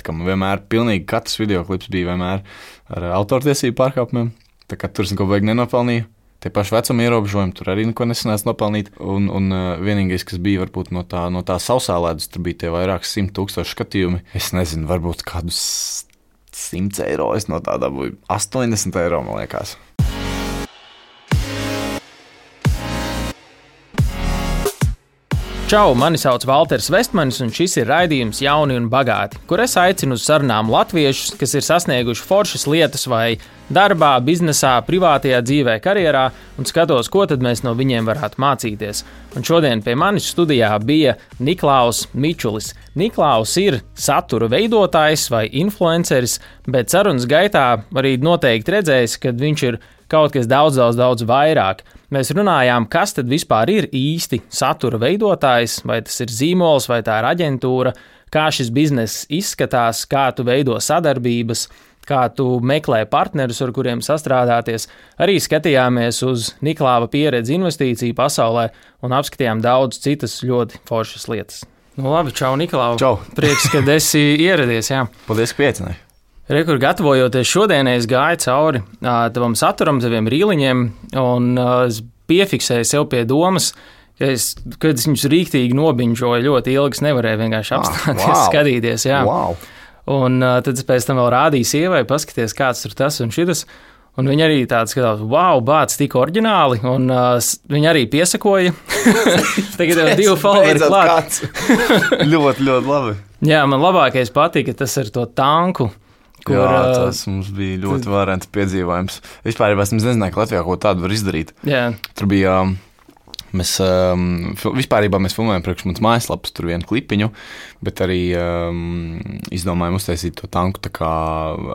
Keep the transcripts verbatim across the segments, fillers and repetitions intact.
Tā kā man vienmēr pilnīgi katrs videoklips bija vienmēr ar autortiesību pārkāpumiem. Tā kā tur es neko baigi nenopelnīju. Tie paši vecuma ierobežojumi, tur arī neko nesanāca nopelnīt. Un, un uh, vienīgais, kas bija varbūt no tā, no tā sausā ledus, tur bija tie vairāk simt tūkstoši skatījumi. Es nezinu, varbūt kādus simts eiro, es no tā dabūju astoņdesmit eiro, man liekas. Čau, mani sauc Valters Vestmanis, un šis ir raidījums Jauni un bagāti, kur es aicinu uz sarunām latviešus, kas ir sasnieguši foršas lietas vai darbā, biznesā, privātajā dzīvē, karjerā, un skatos, ko tad mēs no viņiem varētu mācīties. Un šodien pie manis studijā bija Niklaus Mičulis. Niklaus ir satura veidotājs vai influenceris, bet sarunas gaitā arī noteikti redzējis, ka viņš ir kaut kas daudz, daudz, daudz vairāk. Mēs runājām, kas tad vispār ir īsti satura veidotājs, vai tas ir zīmols, vai tā ir aģentūra, kā šis bizness izskatās, kā tu veido sadarbības, kā tu meklē partnerus, ar kuriem sastrādāties. Arī skatījāmies uz Niklāva pieredzi investīciju pasaulē un apskatījām daudz citas ļoti foršas lietas. Nu labi, čau Niklāva. Čau. Prieks, kad esi ieradies, jā. Paldies, ka pieaicināji. Rekur, gatavojoties šodienai, es gāju cauri uh, tavam saturam, taviem rīliņiem, un uh, es piefiksēju sev pie domas, ka es, kad es viņus rīktīgi nobiņžoju ļoti ilgi, es nevarēju vienkārši apstāties, ah, wow. skatīties. Jā. Wow. Un uh, tad es pēc tam vēl rādīju sievai, paskaties, kāds tur tas un šitas. Un viņi arī tādi skatās, wow, bāc, tik oriģināli, un uh, viņi arī piesakoja. Tagad jau divi followeri klāt. ļoti, ļoti labi. Jā, man labākais patika tas ar to tanku. Kur, Jā, tas mums bija ļoti varants piedzīvojums. Vispār es nezināju, ka Latvijā ko tādu var izdarīt. Jā. Tur bija, mēs, um, vispārībā mēs filmējām priekš mums mājaslapas, tur vienu klipiņu, bet arī um, izdomājām uztaisīt to tanku, tā kā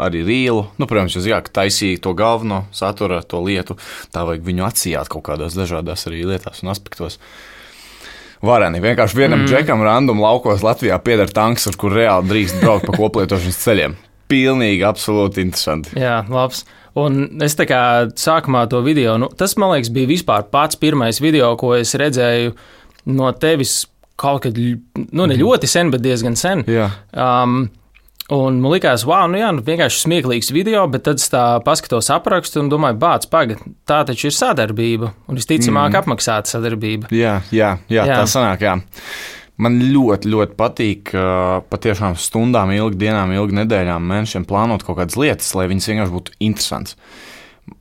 arī rīlu. Nu, protams, jūs jā, ka taisīja to galveno satura, to lietu, tā vajag viņu atsijāt kaut kādās dažādās arī lietās un aspektos. Vareni, vienkārši vienam mm. džekam random laukos Latvijā pieder tanks, ar kur reāli drīkst braukt pa koplietošanas ceļiem. Pilnīgi, absolūti interesanti. Jā, labs. Un es tā kā sākumā to video, nu, tas, man liekas, bija vispār pats pirmais video, ko es redzēju no tevis kaut kad, nu, ne ļoti sen, bet diezgan sen. Jā. Um, un man likās, wow, nu jā, nu, vienkārši smieklīgs video, bet tad es tā paskatos aprakstu un domāju, bāc, pagad, tā taču ir sadarbība, un visticamāk mm. apmaksāta sadarbība. Jā, jā, jā, jā, tā sanāk, jā. Man ļoti, ļoti patīk uh, patiešām stundām ilgi, dienām ilgi, nedēļām, mēnešiem plānot kaut kādas lietas, lai viņas vienkārši būtu interesants.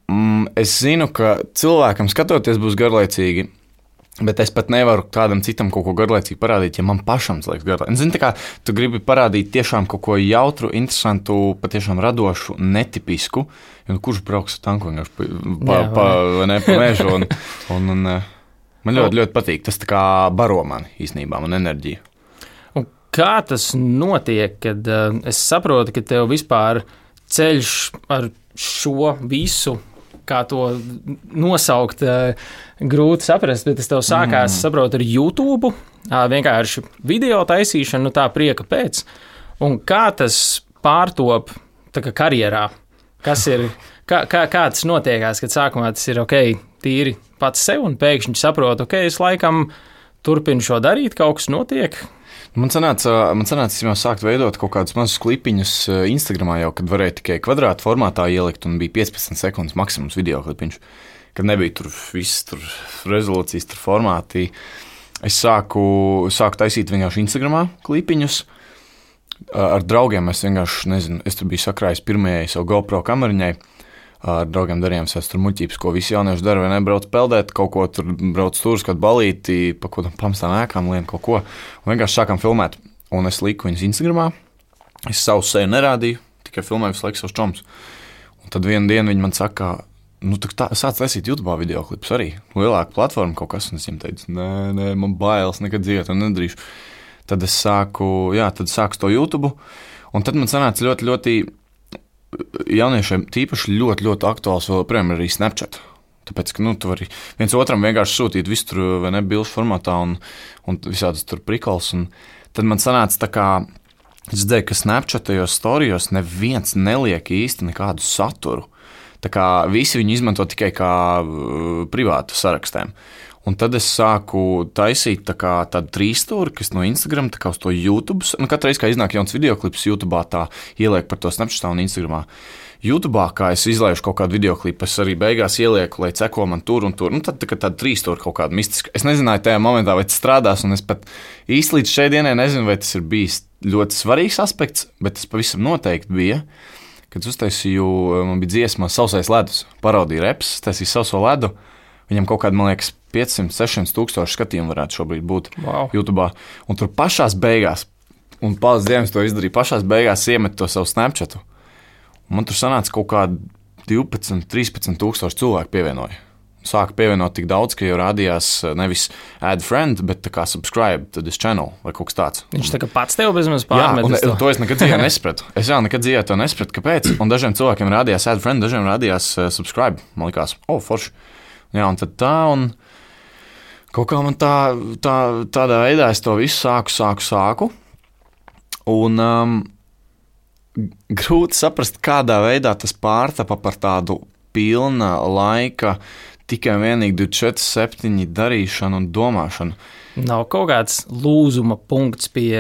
Mm, es zinu, ka cilvēkam skatoties būs garlaicīgi, bet es pat nevaru kādam citam kaut ko garlaicīgi parādīt, ja man pašam liekas garlaicīgi. Zini, tā kā tu gribi parādīt tiešām kaut ko jautru, interesantu, patiešām radošu, netipisku, jo kurš brauks ar tanku vienkārši pa, pa, pa, ne, pa mežu un... un, un Man ļoti, ļoti patīk. Tas tā kā baro mani īstenībā, man enerģiju. Un kā tas notiek, kad uh, es saprotu, ka tev vispār ceļš ar šo visu, kā to nosaukt, uh, grūti saprast, bet es tev sākās, mm. saprotu, ar YouTube, uh, vienkārši video taisīšanu, nu tā prieka pēc. Un kā tas pārtop tā kā karjerā? Kas ir, kā, kā, kā tas notiekās, kad sākumā tas ir ok, tīri pats sev, un pēkšņi saprotu, ok, es laikam turpinu šo darīt, kaut kas notiek. Man sanāca, man sanāca jau sākt veidot kaut kādus mazus klipiņus Instagramā jau, kad varēja tikai kvadrāta formātā ielikt, un bija piecpadsmit sekundes maksimums video klipiņš, kad nebija tur viss, tur rezolūcijas, tur formāti. Es sāku, sāku taisīt vienkārši Instagramā klipiņus. Ar draugiem es vienkārši, nezinu, es tur biju sakrājis pirmajai savu GoPro kameriņai. Ar draugiem darījām sēs tur muļķības, ko visi jaunieši dara, vai ne, brauc peldēt, kaut ko tur brauc stūrus, kaut balīti, pa kaut kādām pamestām ēkām, lien kaut ko. Un vienkārši sākām filmēt, un es liku viņus Instagramā. Es savu seju nerādīju, tikai filmēju visu laiku savus čomus. Un tad vienu dienu viņi man saka, nu tā, sāc taisīt YouTube videoklipus arī, lielāka platforma kaut kas, un es viņiem teicu, nē, nē, man bailes, nekad dzīvē to nedarīšu. Tad es sāku, jā, tad sāku to YouTube, un tad man sanāca ļoti, ļoti jauniešiem tīpaši ļoti, ļoti aktuāls vēl joprojām arī Snapchat. Tāpēc, ka, nu, tu vari viens otram vienkārši sūtīt visu tur, vai ne, bilžu formātā un, un visādas tur prikols. Un tad man sanāca tā kā, es dzēju, ka Snapchatajos storijos neviens neliek īsti nekādu saturu. Tā kā visi viņu izmanto tikai kā uh, privātu sarakstiem. Un tad es sāku taisīt tā kā tādu trīsstūri, kas no Instagram, tā kā uz to YouTube. Nu, katru reizi, kā iznāk jauns videoklips YouTube, tā ieliek par to Snapchatā un Instagramā. YouTube, kā es izlaižu kaut kādu videoklipu, es arī beigās ielieku, lai ceko man tur un tur. Nu, tad tā, tāda trīsstūra kaut kāda mistiska. Es nezināju tajā momentā, vai tas strādās, un es pat īsti līdz šai dienai nezinu, vai tas ir bijis ļoti svarīgs aspekts, bet tas pavisam noteikti bija. Kad uztaisīju, man bija dziesma Sausais ledus, parodija reps, taisīju Sauso ledu. Viņam kaut kāda, man liekas, piecsimt sešsimt tūkstoši skatījumu varētu šobrīd būt wow. YouTube. Un tur pašās beigās, un paldies Dievam, to izdarīju, pašās beigās iemet to savu Snapchatu. Un man tur sanāca kaut kādi divpadsmit, trīspadsmit tūkstoši cilvēku pievienoja. Sāka pievienot tik daudz, ka jau rādījās nevis add friend, bet tā kā subscribe to this channel vai kaut kas tāds. Viņš tā kā pats tev bezmaz pārmet. Jā, un to es nekad dzīvē nespratu. Es jau nekad dzīvē to nespratu, kāpēc. Un dažiem cilvēkiem rādījās add friend, dažiem rādījās uh, subscribe. Man likās, o, oh, forši. Jā, un tad tā, un kaut kā man tā, tā, tādā veidā es to visu sāku, sāku, sāku. Un um, grūti saprast, kādā veidā tas pārtapa par tādu pilna laika, tikai vienīgi divdesmit četri septiņi darīšanu un domāšanu. Nav kaut kāds lūzuma punkts pie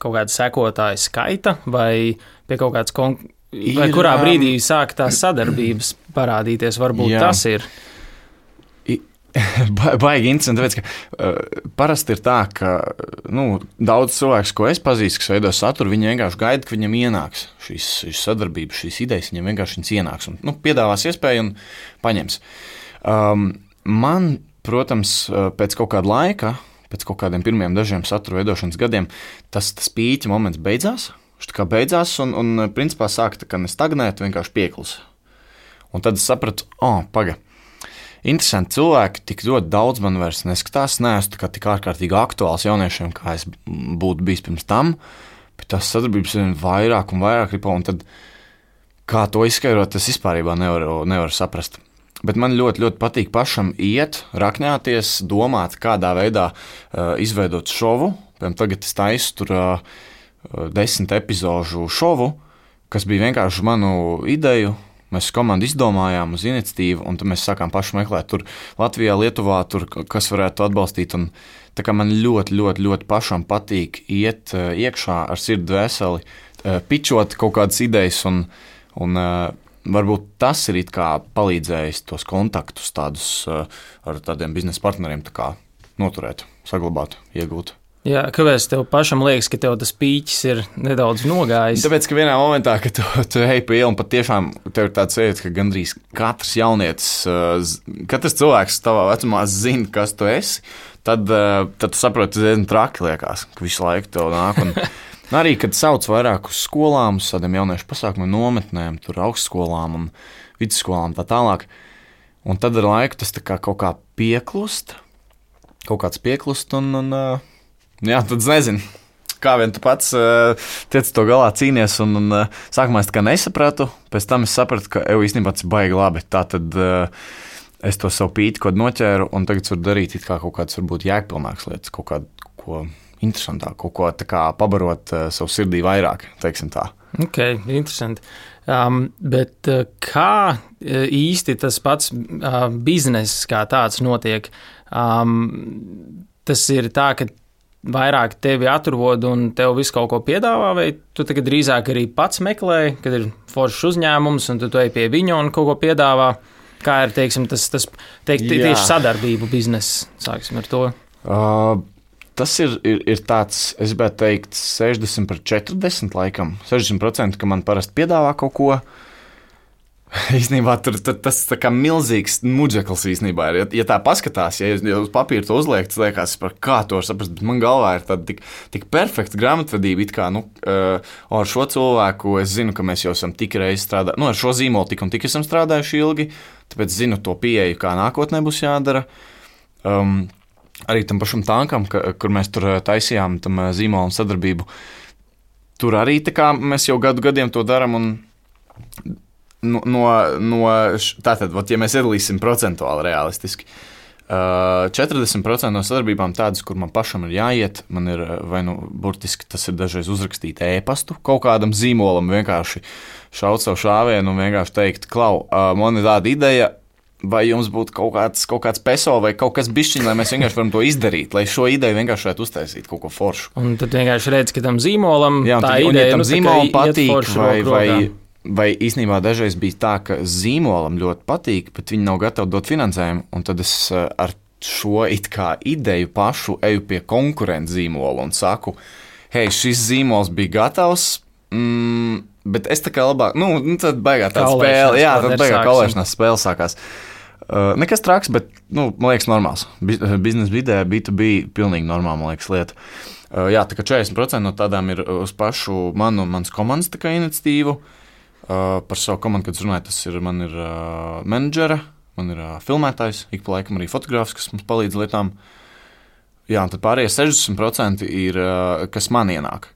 kaut kāda sekotāja skaita vai pie kaut kāds konkrēts. Vai ir, kurā brīdī sāk tās sadarbības parādīties? Varbūt jā. Tas ir. Ba- baigi interesanti, tāpēc, ka uh, parasti ir tā, ka nu, daudz cilvēks, ko es pazīstu, kas veido saturu, viņi vienkārši gaida, ka viņam ienāks šīs, šīs sadarbības, šīs idejas, viņam vienkārši viņas ienāks un nu, piedāvās iespēju un paņems. Um, man, protams, pēc kaut kāda laika, pēc kaut kādiem pirmiem dažiem satura veidošanas gadiem, tas, tas pīķa moments beidzās, viņš tā kā beidzās un, un principā sāka tā kā nestagnēt, vienkārši pieklusa. Un tad es sapratu, o, oh, paga. Interesanti cilvēki, tik ļoti daudz man vairs neskatās, neesmu tik ārkārtīgi aktuāls jauniešiem, kā es būtu bijis pirms tam, bet tās sadarbības vien vairāk un vairāk ripo, un tad kā to izskaidrot, es vispārībā nevaru, nevaru saprast. Bet man ļoti, ļoti patīk pašam iet, rakņāties, domāt, kādā veidā uh, izveidot šovu. Piemēram, tagad es taisu tur uh, desmit epizožu šovu, kas bija vienkārši manu ideju. Mēs komandu izdomājām uz iniciatīvu, un tad mēs sākām paši meklēt tur Latvijā, Lietuvā, tur, kas varētu atbalstīt. Un tā kā man ļoti, ļoti, ļoti pašam patīk iet uh, iekšā ar sirdi dvēseli, uh, pičot kaut kādas idejas, un, un uh, varbūt tas ir it kā palīdzējis tos kontaktus tādus uh, ar tādiem biznesa partneriem tā kā noturēt, saglabāt, iegūt. Jā, kāpēc tev pašam liekas, ka tev tas pīķis ir nedaudz nogājis? Tāpēc, ka vienā momentā, kad tu, tu ej pa ielu un pat tiešām tev ir tāds sajūta, ka gandrīz katrs jaunietis, katrs cilvēks tavā vecumā zina, kas tu esi, tad, tad tu saproti, tas diezgan traki liekas, ka visu laiku tev nāk. Un arī, kad sauc vairāk uz skolām, uz tādiem jauniešu pasākumiem, nometnēm, tur augstskolām un vidusskolām tā tālāk, un tad ar laiku tas tā kā kaut kā pieklust, kaut kāds pieklust un... un jā, tad es nezinu, kā vien tu pats uh, tiec to galā cīnies, un, un uh, sākumā es tā kā nesapratu, pēc tam es sapratu, ka ev īstenībā tas baigi labi, tā tad uh, es to savu pīti kaut noķēru, un tagad varu darīt it kā kaut kādas varbūt jēgpilnākas lietas, kaut kādu ko interesantāk, kaut ko tā kā pabarot uh, savu sirdī vairāk, teiksim tā. Ok, interesanti. Um, bet uh, kā īsti tas pats uh, bizness kā tāds notiek? Um, tas ir tā, ka vairāk tevi atrod un tev visu kaut ko piedāvā, vai tu tagad drīzāk arī pats meklē, kad ir foršs uzņēmums un tu ej pie viņa un kaut ko piedāvā? Kā ir, teiksim, tas, tas teikt, tieši sadarbību bizness, sāksim ar to? Uh, tas ir, ir, ir tāds, es gribētu teikt, sešdesmit pret četrdesmit laikam. sešdesmit procenti, ka man parasti piedāvā kaut ko. Īstenībā tur, tur tas tā kā milzīgs muģeklis īstenībā ir. Ja, ja tā paskatās, ja, ja uz papīra to uzliek, tas liekas, par kā to var saprast, bet man galvā ir tāda tik, tik perfekta grāmatvedība, it kā, nu, uh, ar šo cilvēku es zinu, ka mēs jau esam tik reiz strādājuši, nu, ar šo zīmolu tik un tik esam strādājuši ilgi, tāpēc zinu to pieeju, kā nākotnē būs jādara. Um, arī tam pašam tankam, ka, kur mēs tur taisījām tam zīmolam sadarbību, tur arī tā kā mēs jau gadu gadiem to daram un No, no, no, tātad, ot, ja mēs iedalīsim procentuāli realistiski, uh, četrdesmit procenti no sadarbībām tādas, kur man pašam ir jāiet, man ir, vai nu, burtiski tas ir dažreiz uzrakstīt ēpastu kaut kādam zīmolam, vienkārši šaut savu šāvienu un vienkārši teikt, klau, uh, man ir tāda ideja, vai jums būtu kaut kāds, kaut kāds peso vai kaut kas bišķiņ, lai mēs vienkārši varam to izdarīt, lai šo ideju vienkārši varētu uztaisīt kaut ko foršu. Un tad vienkārši redz, ka tam zīmolam Jā, tā tad, ideja, ja tam nu, zīmolam patīk, vai, vai, vai... vai īstenībā dažreiz bija tā, ka zīmolam ļoti patīk, bet viņi nav gatavi dot finansējumu, un tad es ar šo it kā ideju pašu eju pie konkurenta zīmola un saku, hei, šis zīmols bija gatavs, mm, bet es tā kā labāk, nu, tad baigā tā spēle, jā, tad baigā kaulēšanās spēle sākās. Uh, nekas traks, bet, nu, man liekas, normāls. Biznesa vidē, B to B, pilnīgi normāla, man liekas, lieta. Uh, jā, tā kā četrdesmit procenti no tādām ir uz pašu manu un manas komandas tā kā iniciatīvu. Uh, par savu komandu, kad es runāju, tas ir, man ir uh, menedžere, man ir uh, filmētājs, ik pa laikam arī fotogrāfs, kas mums palīdz lietām. Jā, un tad pārējie sešdesmit procenti ir, uh, kas man ienāk.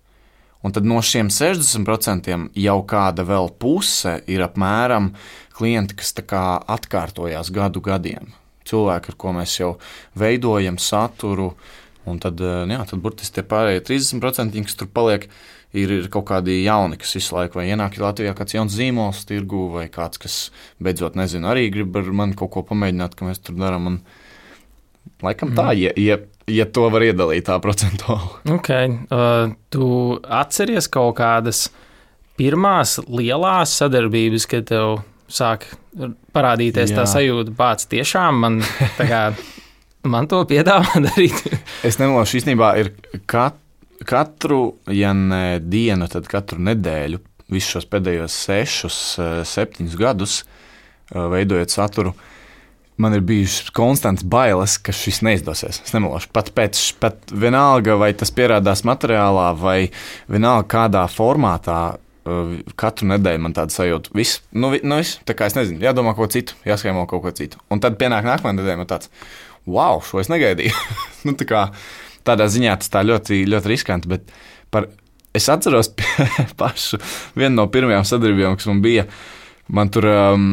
Un tad no šiem sešdesmit procentiem jau kāda vēl puse ir apmēram klienti, kas tā kā atkārtojās gadu gadiem. Cilvēki, ar ko mēs jau veidojam saturu, un tad, jā, tad burtiski tie pārējie trīsdesmit procenti, kas tur paliek, ir, ir kaut kādi jauni, kas visu laiku vai ienāk Latvijā kāds jauns zīmols tirgu, vai kāds, kas beidzot nezinu, arī grib ar mani kaut ko pamēģināt, ka mēs tur darām. Un laikam tā, ja, ja, ja to var iedalīt tā procentuāli. Ok, uh, tu atceries kaut kādas pirmās lielās sadarbības, kad tev sāk parādīties Jā. Tā sajūta, bāc, tiešām man, tā kā, man to piedāvā darīt. Es nemelošu, īstenībā ir kat, katru, ja ne dienu, tad katru nedēļu, visus šos pēdējos sešus, septiņus gadus, veidojot saturu, man ir bijušas konstants bailes, ka šis neizdosies. Es nemelošu, pat pēc, pat vienalga, vai tas pierādās materiālā, vai vienalga kādā formātā, katru nedēļu man tāda sajūta, viss, nu, nu viss, tā kā es nezinu, jādomā kaut ko citu, jāskaimo kaut ko citu. Un tad pienāk nākamā nedēļa man tāds, wow, šo es negaidīju. nu, tā kā tādā ziņā tas tā ļoti, ļoti riskanti, bet par, es atceros pašu vienu no pirmajām sadarbībām, kas man bija, man tur, um,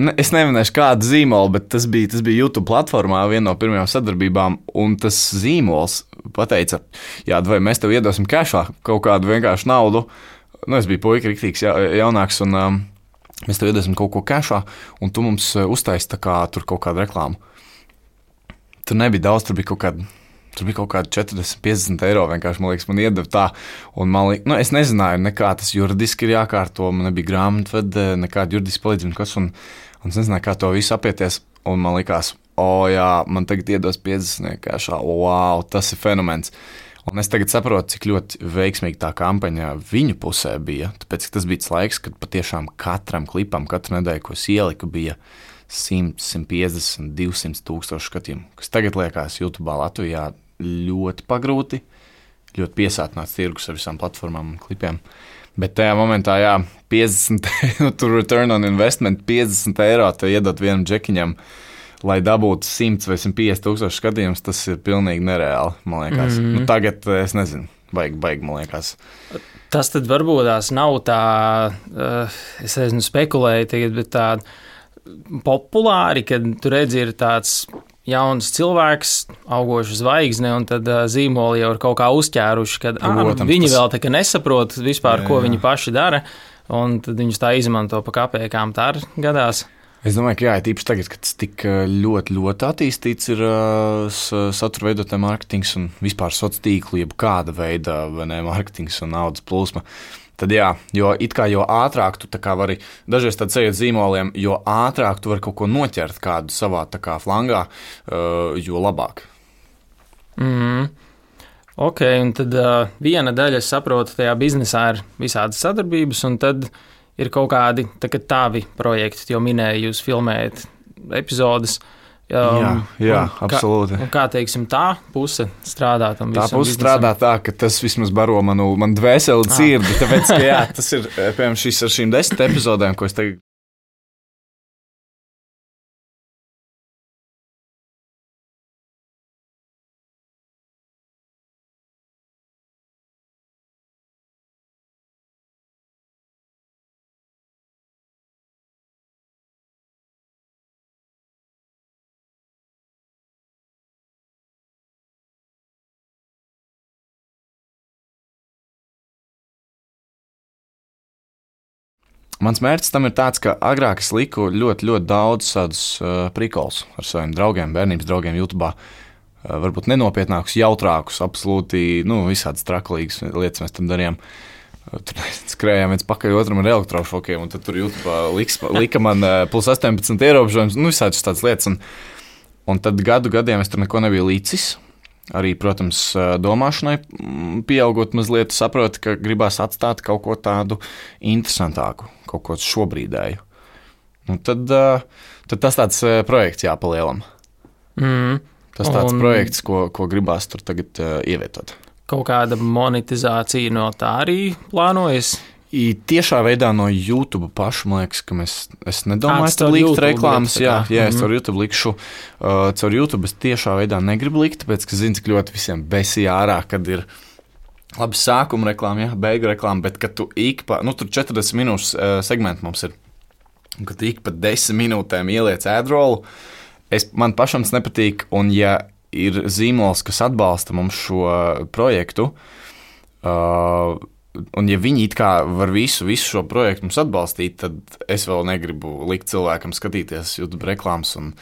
ne, es neminēšu kādu zīmolu, bet tas bija, tas bija YouTube platformā, viena no pirmajām sadarbībām, un tas zīmols pateica, jā, vai mēs tev iedosim kešā kaut kādu vienkāršu naudu. Nu, es biju puika riktīgs ja, jaunāks, un um, mēs tev iedosim kaut ko kešā, un tu mums uztaisi tā kā tur kaut kādu reklāmu. Tur nebija daudz, tur bija kaut kāda, tur bija kaut kāda četrdesmit, piecdesmit eiro vienkārši, man liekas, man iedeva tā, un man liekas, nu, es nezināju, nekā tas juridiski ir jākārto, man nebija grāmatvede, nekāda juridiska palīdzība, kas, un, un es nezināju, kā to visu apieties, un man likās, o jā, man tagad iedos piecdesmit kešā, wow, tas ir fenomens. Un es tagad saprotu, cik ļoti veiksmīga tā kampaņa viņu pusē bija. Tāpēc tas bija tas laiks, kad patiešām katram klipam, katru nedēļu, ko es ieliku, bija simt, simt piecdesmit, divsimt tūkstoši skatījumu. Kas tagad liekas YouTube Latvijā ļoti pagrūti, ļoti piesātināts tirgus ar visām platformām un klipiem. Bet tajā momentā, jā, piecdesmit, nu, tur return on investment, piecdesmit eiro te iedot vienam džekiņam, lai dabūtu simt vai simt piecdesmit tūkstoši skatījumus, tas ir pilnīgi nereāli, man liekas. Mm-hmm. Nu, tagad, es nezinu, baigi, baigi, man liekas. Tas tad varbūt tās nav tā, uh, es nezinu, spekulēju tagad, bet tā populāri, kad tu redzi, ir tāds jauns cilvēks, augoša zvaigzne, un tad uh, zīmoli jau ir kaut kā uzķēruši, kad Protams, ah, viņi tas... vēl tā kā nesaprot vispār, jā, ko jā. Viņi paši dara, un tad viņus tā izmanto pa kapēkām, tā arī gadās. Es domāju, ka jā, tīpaši tagad, kad tas tik ļoti, ļoti attīstīts ir uh, satura veidotājs mārketings un vispār sociālo tīklu, jeb kāda veida ne, mārketings un naudas plūsma, tad jā, jo it kā jo ātrāk tu tā kā vari, dažreiz tad ceļot zīmoliem, jo ātrāk tu vari kaut ko noķert kādu savā tā kā flangā, uh, jo labāk. Mm. Ok, un tad uh, viena daļa, es saprotu, tajā biznesā ir visādas sadarbības, un tad ir kaut kādi tā, tavi projekti, jo minēju, jūs filmējat epizodes. Um, jā, jā absolūti. Kā, kā, teiksim, tā puse strādā tam visam? Tā puse biznesam? Strādā tā, ka tas vismaz baro manu, man dvēseli dzirdi, ah. tāpēc, ka jā, tas ir, piemēram, šis ar šīm desmit epizodēm, ko es tagad mans mērķis tam ir tāds, ka agrāk es liku ļoti, ļoti daudz tādus uh, prikols ar saviem draugiem, bērnības draugiem YouTube. Uh, varbūt nenopietnākus, jautrākus, absolūti, nu, visādas traklīgas lietas mēs tam darījām. Uh, tur skrējām viens pakaļ otram ar elektrošokiem, un tad tur YouTube liks, lika man uh, plus astoņpadsmit ierobežojums, nu, visādas tādas lietas. Un, un tad gadu gadiem es tur neko nebiju līdzis. Arī, protams, domāšanai pieaugot mazliet, saprotu, ka gribās atstāt kaut ko tādu interesantāku, kaut ko šobrīdēju. Un tad, tad tas tāds projekts jāpalielam. Mm. Tas tāds Un projekts, ko, ko gribās tur tagad ievietot. Kaut kāda monetizācija no tā arī plānojas? I tiešā veidā no YouTube paša, man liekas, ka mēs, es nedomāju, ka likt reklāmas. Likt, jā, jā, es mm-hmm. caur YouTube likšu. Uh, caur YouTube es tiešā veidā negribu likt, tāpēc, ka zinu, cik ļoti visiem besīja ārā, kad ir labi sākuma reklāma, jā, beigu reklāma, bet kad tu ik pa, nu tur četrdesmit minūšu uh, segmenti mums ir, un kad ik pa desmit minūtēm ieliec ad-rollu, es, man pašam tas nepatīk, un ja ir zīmols, kas atbalsta mums šo projektu, uh, un ja viņi it kā var visu, visu šo projektu mums atbalstīt, tad es vēl negribu likt cilvēkam skatīties YouTube reklāmas. Un...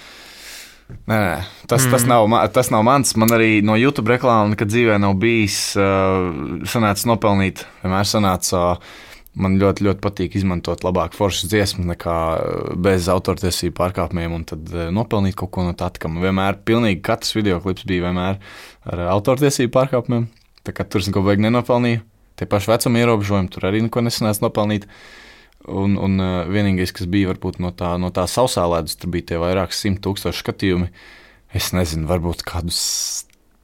Nē, nē, tas, mm. tas, nav, tas nav mans. Man arī no YouTube reklāma nekad dzīvē nav bijis uh, sanācis nopelnīt. Vienmēr sanāca, uh, man ļoti, ļoti patīk izmantot labāk foršas dziesmas nekā bez autortiesību pārkāpumiem un tad uh, nopelnīt kaut ko no tā, ka man vienmēr pilnīgi katrs videoklips bija vienmēr ar autortiesību pārkāpumiem. Tā kā tur es neko baigi nenopelnīju. Tie paši vecuma ierobežojumi, tur arī neko nesanāca nopelnīt. Un, un uh, vienīgais, kas bija varbūt no tā, no tā sausā ledus, tur bija tie vairāk simt tūkstoši skatījumi. Es nezinu, varbūt kādus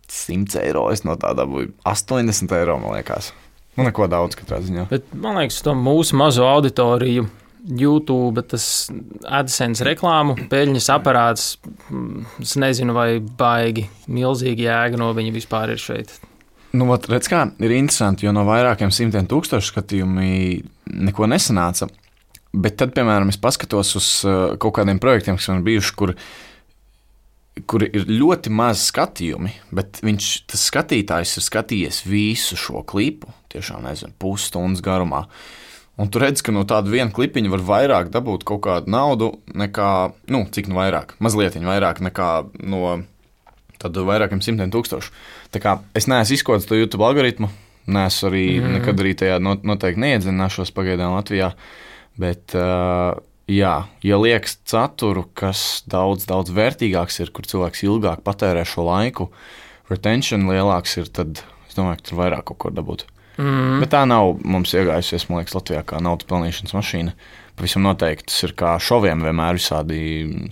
simts eiro, es no tā dabūju astoņdesmit eiro, man liekas. Nu, neko daudz katrā ziņā. Bet, man liekas, to mūsu mazo auditoriju YouTube, tas AdSense reklāmu, peļņas aparāts, es nezinu, vai baigi milzīgi jēga no viņa vispār ir šeit. Nu, vat, redz kā, ir interesanti, jo no vairākiem simtiem tūkstošu skatījumi neko nesanāca, bet tad, piemēram, es paskatos uz uh, kaut kādiem projektiem, kas man ir bijuši, kur, kur ir ļoti maz skatījumi, bet viņš, tas skatītājs ir skatījies visu šo klipu, tiešām, nezinu, pusstundas garumā, un tu redz, ka no tāda viena klipiņa var vairāk dabūt kaut kādu naudu nekā, nu, cik nu vairāk, mazlietiņ vairāk nekā no... tad vairākiem simtiem tūkstošu. Tā kā es neesmu izkods to YouTube algoritmu, neesmu arī mm. nekad arī tajā noteikti neiedzināšos pagaidām Latvijā, bet uh, jā, ja liekas saturu, kas daudz, daudz vērtīgāks ir, kur cilvēks ilgāk patērē šo laiku, retention lielāks ir, tad es domāju, ka tur vairāk kaut ko dabūt. Mm. Bet tā nav mums iegājusies, man liekas, Latvijā kā naudas pelnīšanas mašīna. Pavisam noteikti tas ir kā šoviem vienmēr visādi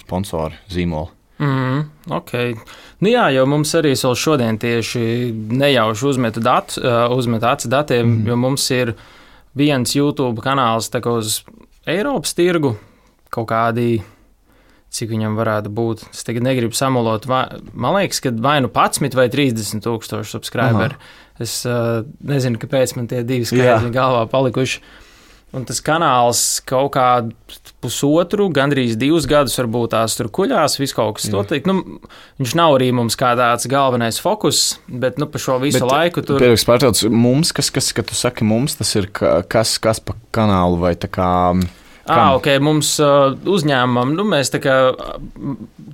sponsori, zīmoli. Mm, ok. Nu jā, jo mums arī vēl šodien tieši nejauši uzmetu datu, uzmetu acu datiem, mm. jo mums ir viens YouTube kanāls tā kā uz Eiropas tirgu, kaut kādi, cik viņam varētu būt. Es tagad negribu samulot, vai, man liekas, ka vai nu padsmit vai trīsdesmit tūkstoši subscriberi. Es uh, nezinu, kāpēc man tie divi skaitļi galvā palikuši. Un tas kanāls kaut kādu pusotru, gandrīz divus gadus varbūt tās tur kuļās, viss kaut kas notiek. Nu, viņš nav arī mums kā tāds galvenais fokus, bet nu, pa šo visu bet, laiku tur... Pēdējais pārtrauc, mums, kas, kas, kad tu saki mums, tas ir kas, kas pa kanālu vai tā kā... Ah, ok, mums uh, uzņēmumam, nu mēs tā kā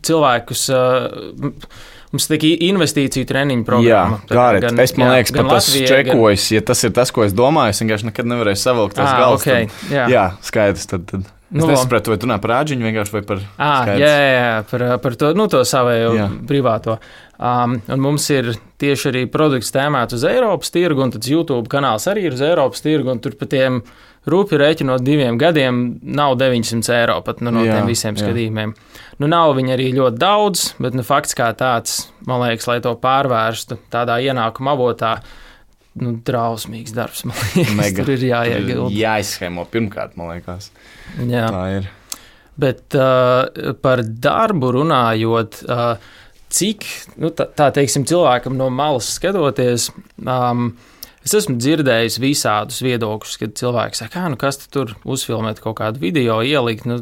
cilvēkus... Uh, Mums ir investīciju treniņu programma. Jā, gāret. Gan, es man jā, liekas, pat tas čekojis, gan... ja tas ir tas, ko es domāju, es vienkārši nekad nevarēju savilkt tās ah, galvas. Okay, tad, jā. jā, skaidrs. Tad, tad. Es nu, nesapratu, vai tu runā par āģiņu vienkārši vai par ah, skaidrs. Jā, jā, par, par to, nu, to savējo jā. privāto. Um, un mums ir tieši arī produkts tēmēts uz Eiropas tirgu, un tad YouTube kanāls arī ir uz Eiropas tirgu, un tur pa tiem rūpi rēķinot diviem gadiem nav deviņsimt eiro pat nu, no jā, tiem visiem skatījumiem. Nu, nav viņi arī ļoti daudz, bet nu, fakts kā tāds, man liekas, lai to pārvērstu tādā ienākuma avotā, nu, drausmīgs darbs, man liekas, Mega. Tur ir jāiegilda. Jāizschēmo pirmkārt, man liekas. Jā. Tā ir. Bet uh, par darbu runājot, uh, cik, nu, tā, tā teiksim, cilvēkam no malas skatoties, um, es esmu dzirdējis visādus viedokļus, kad cilvēki saka, kā, nu kas tur uzfilmēt kaut kādu video, ielikt, nu,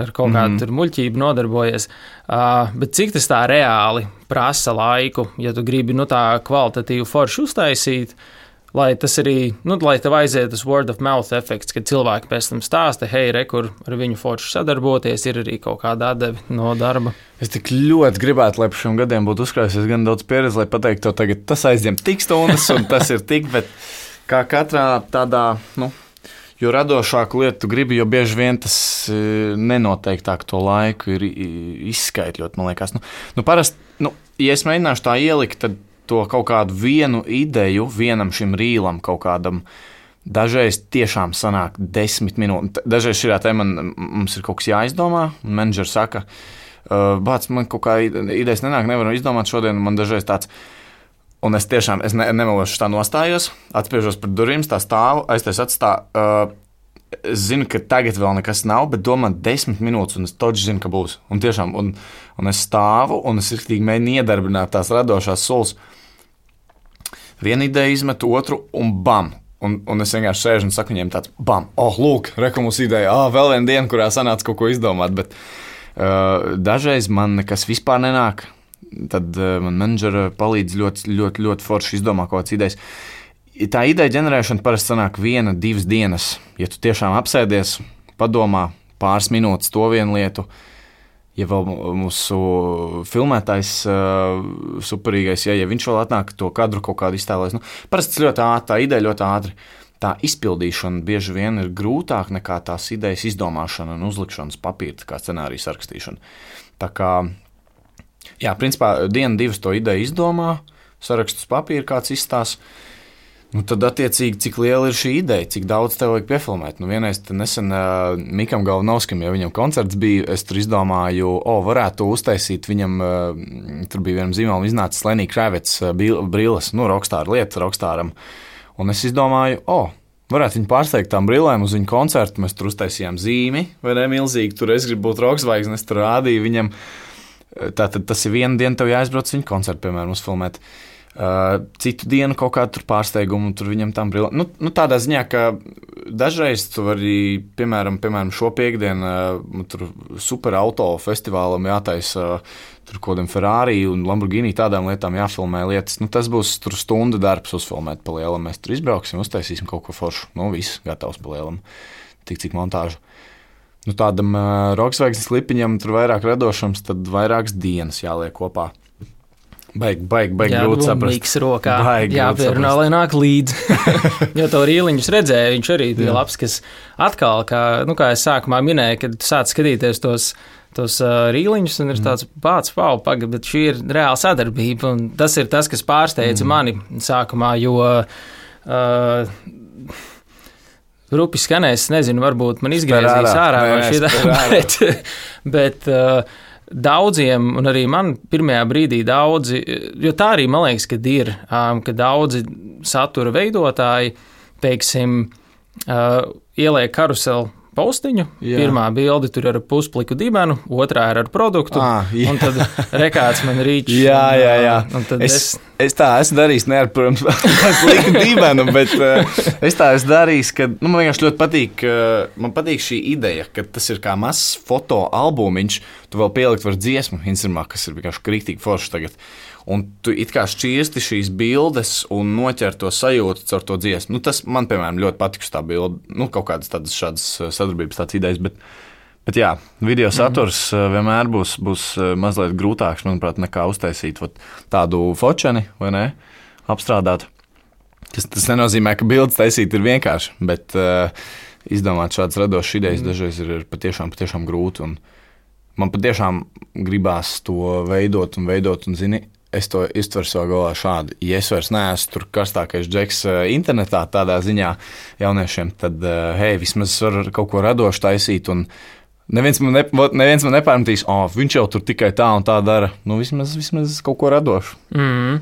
ar kaut kādu tur muļķību nodarbojies. Uh, bet cik tas tā reāli prasa laiku, ja tu gribi, nu, tā kvalitatīvu foršu uztaisīt, lai tas arī, nu, lai tev aiziet tas word of mouth efekts, kad cilvēki pēc tam stāsta, hei, re, kur ar viņu forši sadarboties, ir arī kaut kāda atdevi no darba. Es tik ļoti gribētu, lai par šiem gadiem būtu uzkrājusies gan daudz pieredzi, lai pateiktu to tagad, tas aizņem tik stundas un tas ir tik, bet kā katrā tādā, nu, jo radošāku lietu tu gribi, jo bieži vien tas nenoteiktāk to laiku ir izskaitļot, man liekas. Nu, nu parasti, nu, ja es mēģināšu tā ielikt, tad to kaut kādu vienu ideju vienam šim rīlam kaut kādam dažreiz tiešām sanāk desmit minūtes. Dažreiz šajā tēmā mums ir kaut kas jāizdomā, un menedžers saka, bāc, man kaut kā idejas nenāk, nevaru izdomāt šodien, man dažreiz tāds, un es tiešām, es ne, nemelošu tā nostājos, atspiežos par durvīm, tā stāvu, aiztais atstā, es zinu, ka tagad vēl nekas nav, bet domā desmit minūtes, un es toči zinu, ka būs. Un tiešām, un, un es stāvu, un es riktīgi mēģinu iedarbināt tās radošās solas. Vienu ideju izmetu, otru, un bam! Un, un es vienkārši sēžu un saku viņiem tāds, bam! Oh, lūk, reku mums ideja, ah, vēl viena diena, kurā sanāca kaut ko izdomāt, bet uh, dažreiz man nekas vispār nenāk, tad uh, man menedžera palīdz ļoti, ļoti, ļoti forši izdomāt kaut kādas idejas. Tā ideja ģenerēšana parasti sanāk viena, divas dienas. Ja tu tiešām apsēdies, padomā pāris minūtes to vienu lietu, ja vēl mūsu filmētājs uh, superīgais, ja, ja viņš vēl atnāk to kadru kaut kādu iztēlēs, nu, parasti ļoti ātri, tā ideja ļoti ātri. Tā izpildīšana bieži vien ir grūtāk nekā tās idejas izdomāšana un uzlikšanas papīra, kā scenārija sarakstīšana. Tā kā, jā, principā dienu, divas to ideju izdomā, sarakstus papīra kāds izstās. Nu, tad, attiecīgi, cik liela ir šī ideja, cik daudz tev vajag piefilmēt. Nu, vienreiz nesen uh, Mikam Galvanovskim, ja viņam koncerts bija, es tur izdomāju, o, varētu uztaisīt viņam, uh, tur bija vienam zīmolam iznācis Lenny Kravitz uh, brilles, nu, rockstāra lieta, rockstāram. Un es izdomāju, o, varētu viņu pārsteigt tām brillēm uz viņu koncertu, mēs tur uztaisījām zīmi, vai ne, milzīgi, tur es gribu būt roksvaigznes, es tur rādīju viņam. Tātad tas ir viena diena, tev jāizbrauc viņu koncertu, piemēram, uzfilmēt. Uh, citu dienu kaut kādu tur pārsteigumu, tur viņam tam brīlē. Nu, nu tādā ziņā, ka dažreiz tu vari, piemēram, piemēram šo piekdienu, uh, tur super auto festivālam jātaisa uh, tur kodam Ferrari un Lamborghini tādām lietām jāfilmē lietas. Nu, tas būs tur stunda darbs uzfilmēt pa lielam. Mēs tur izbrauksim, uztaisīsim kaut ko foršu. Nu, viss gatavs pa lielam. Tik cik montāžu. Nu, tādam uh, roksvaigznes klipiņam tur vairāk radošams, tad vairākas dienas jāliek kopā. Baigi, baigi, baigi grūti saprast. Mīks rokā, jāpierunā, lai nāk līdzi. Jo to rīliņus redzēju, viņš arī bija Jā. labs, kas atkal, kā, nu, kā es sākumā minēju, kad tu sāc skatīties tos, tos uh, rīliņus, un ir tāds pāds, pau, pagad, bet šī ir reāla sadarbība, un tas ir tas, kas pārsteidza mm. mani sākumā, jo uh, rupi skanēs, nezinu, varbūt man izgriezīs ārā, ārā šī, bet, bet uh, daudziem, un arī man pirmajā brīdī daudzi, jo tā arī man liekas, kad ir, um, ka daudzi satura veidotāji, teiksim, uh, ieliek karuseli postiņu, jā. Pirmā bilde tur ir ar puspliku dibenu, otrā ir ar produktu, ah, un tad rekāds man rīč. Jā, jā, jā. Un, un es, es... es tā esmu darījis, ne ar, protams, sliku dibenu, bet uh, es tā esmu darījis, ka, nu, man vienkārši ļoti patīk, uh, man patīk šī ideja, ka tas ir kā mazs fotoalbumiņš, tu vēl pielikt var dziesmu Instagramā, kas ir vienkārši krītīgi forši tagad. Un tu it kā šķirsti šīs bildes un noķer to sajūtu caur to dziesmu. Nu, tas man, piemēram, ļoti patiks tā bilde. Nu, kaut kādas tādas šādas sadarbības tāds idejas, bet, bet jā, video saturs mm-hmm. vienmēr būs, būs mazliet grūtāks, manuprāt, nekā uztaisīt vat, tādu fočeni, vai ne, apstrādāt. Tas, tas nenozīmē, ka bildes taisīt ir vienkārši, bet uh, izdomāt šādas radošas idejas mm. dažreiz ir patiešām, patiešām grūti. Un man patiešām gribās to veidot un veidot un zini, es to iztveru savā galvā šādi. Ja es vairs neesmu tur karstākais džeks internetā tādā ziņā jauniešiem, tad, hei, vismaz var kaut ko radošu taisīt, un neviens man, ne, neviens man nepārmetīs, o, oh, viņš jau tur tikai tā un tā dara. Nu, vismaz, vismaz kaut ko radošu. Mm.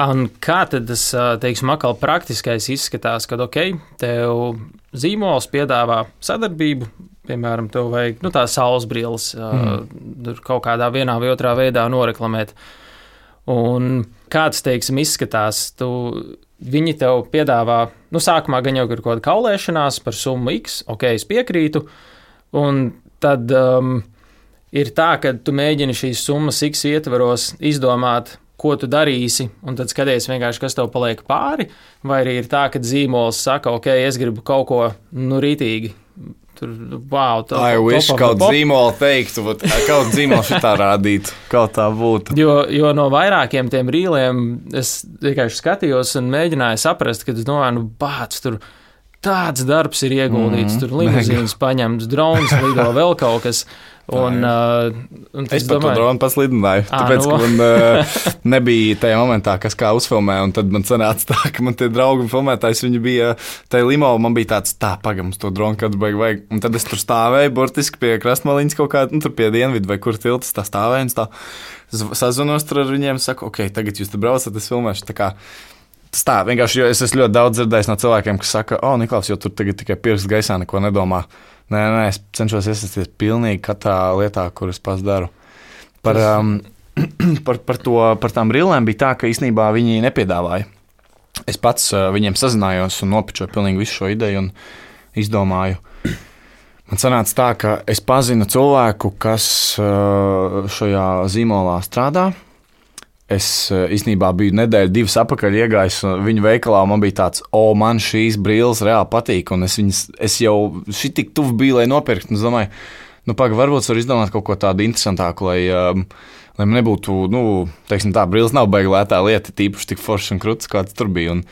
Un kā tad tas, teiksim, atkal praktiskais izskatās, kad, ok, tev zīmols piedāvā sadarbību, piemēram, tev vajag, nu, tās saules brilles, mm. kaut kādā vienā vai otrā veidā noreklamēt. Un kāds, teiksim, izskatās, tu, viņi tev piedāvā, nu, sākumā gan jau ir kaut kāda kaulēšanās par summu X, ok, es piekrītu, un tad um, ir tā, ka tu mēģini šīs summas X ietvaros izdomāt, ko tu darīsi, un tad skaties vienkārši, kas tev paliek pāri, vai arī ir tā, ka zīmols saka, ok, es gribu kaut ko, nu, rītīgi. Tur, wow, tā, I wish kaut zīmolu teiktu, bet kaut zīmolu šitā rādītu, kaut tā būtu. Jo, jo no vairākiem tiem rīliem es vienkārši skatījos un mēģināju saprast, ka es domāju, nu, bāc, tur tāds darbs ir ieguldīts, mm, tur limuzīnas paņemts, drons lido, vēl kaut kas. Un, uh, un es pat to dronu paslidināju, à, tāpēc, no. ka man uh, nebija tajā momentā, kas kā uzfilmē, un tad man sanāca tā, ka man tie draugi filmētājs, viņi bija tajā limo, man bija tāds, tā, pagam, to dronu kāds baigi vajag, un tad es tur stāvēju, burtiski pie krastmaliņas kaut kā, nu, tur pie Dienvidu vai kur tiltas tā stāvēju, un tā sazvanos tur ar viņiem, saku, ok, tagad jūs te braucat, es filmēšu, tā kā, tas tā, vienkārši, jo es esmu ļoti daudz dzirdējis no cilvēkiem, kas saka, o, Niklaus, jo tur tagad tikai pirksts gaisā neko nedomā. Nē, nē, es cenšos iesaistīties pilnīgi katrā lietā, kur es pats daru. Par, um, par, par, to, par tām rillēm bija tā, ka īstenībā viņi nepiedāvāja. Es pats uh, viņiem sazinājos un nopičoju pilnīgi visu šo ideju un izdomāju. Man sanāca tā, ka es pazinu cilvēku, kas uh, šajā zīmolā strādā. Es īstenībā biju nedēļu, divas atpakaļ iegājis viņu veikalā, un man bija tāds, o, man šīs brilles reāli patīk, un es, viņas, es jau šitik tuvu biju, lai nopirkt, un es domāju, nu, paga, varbūt var izdomāt kaut ko tādu interesantāku, lai, um, lai man nebūtu, nu, teiksim tā, brilles nav baigi lētā lieta, tīpaši tik foršs un kruts, kāds tur bija, un,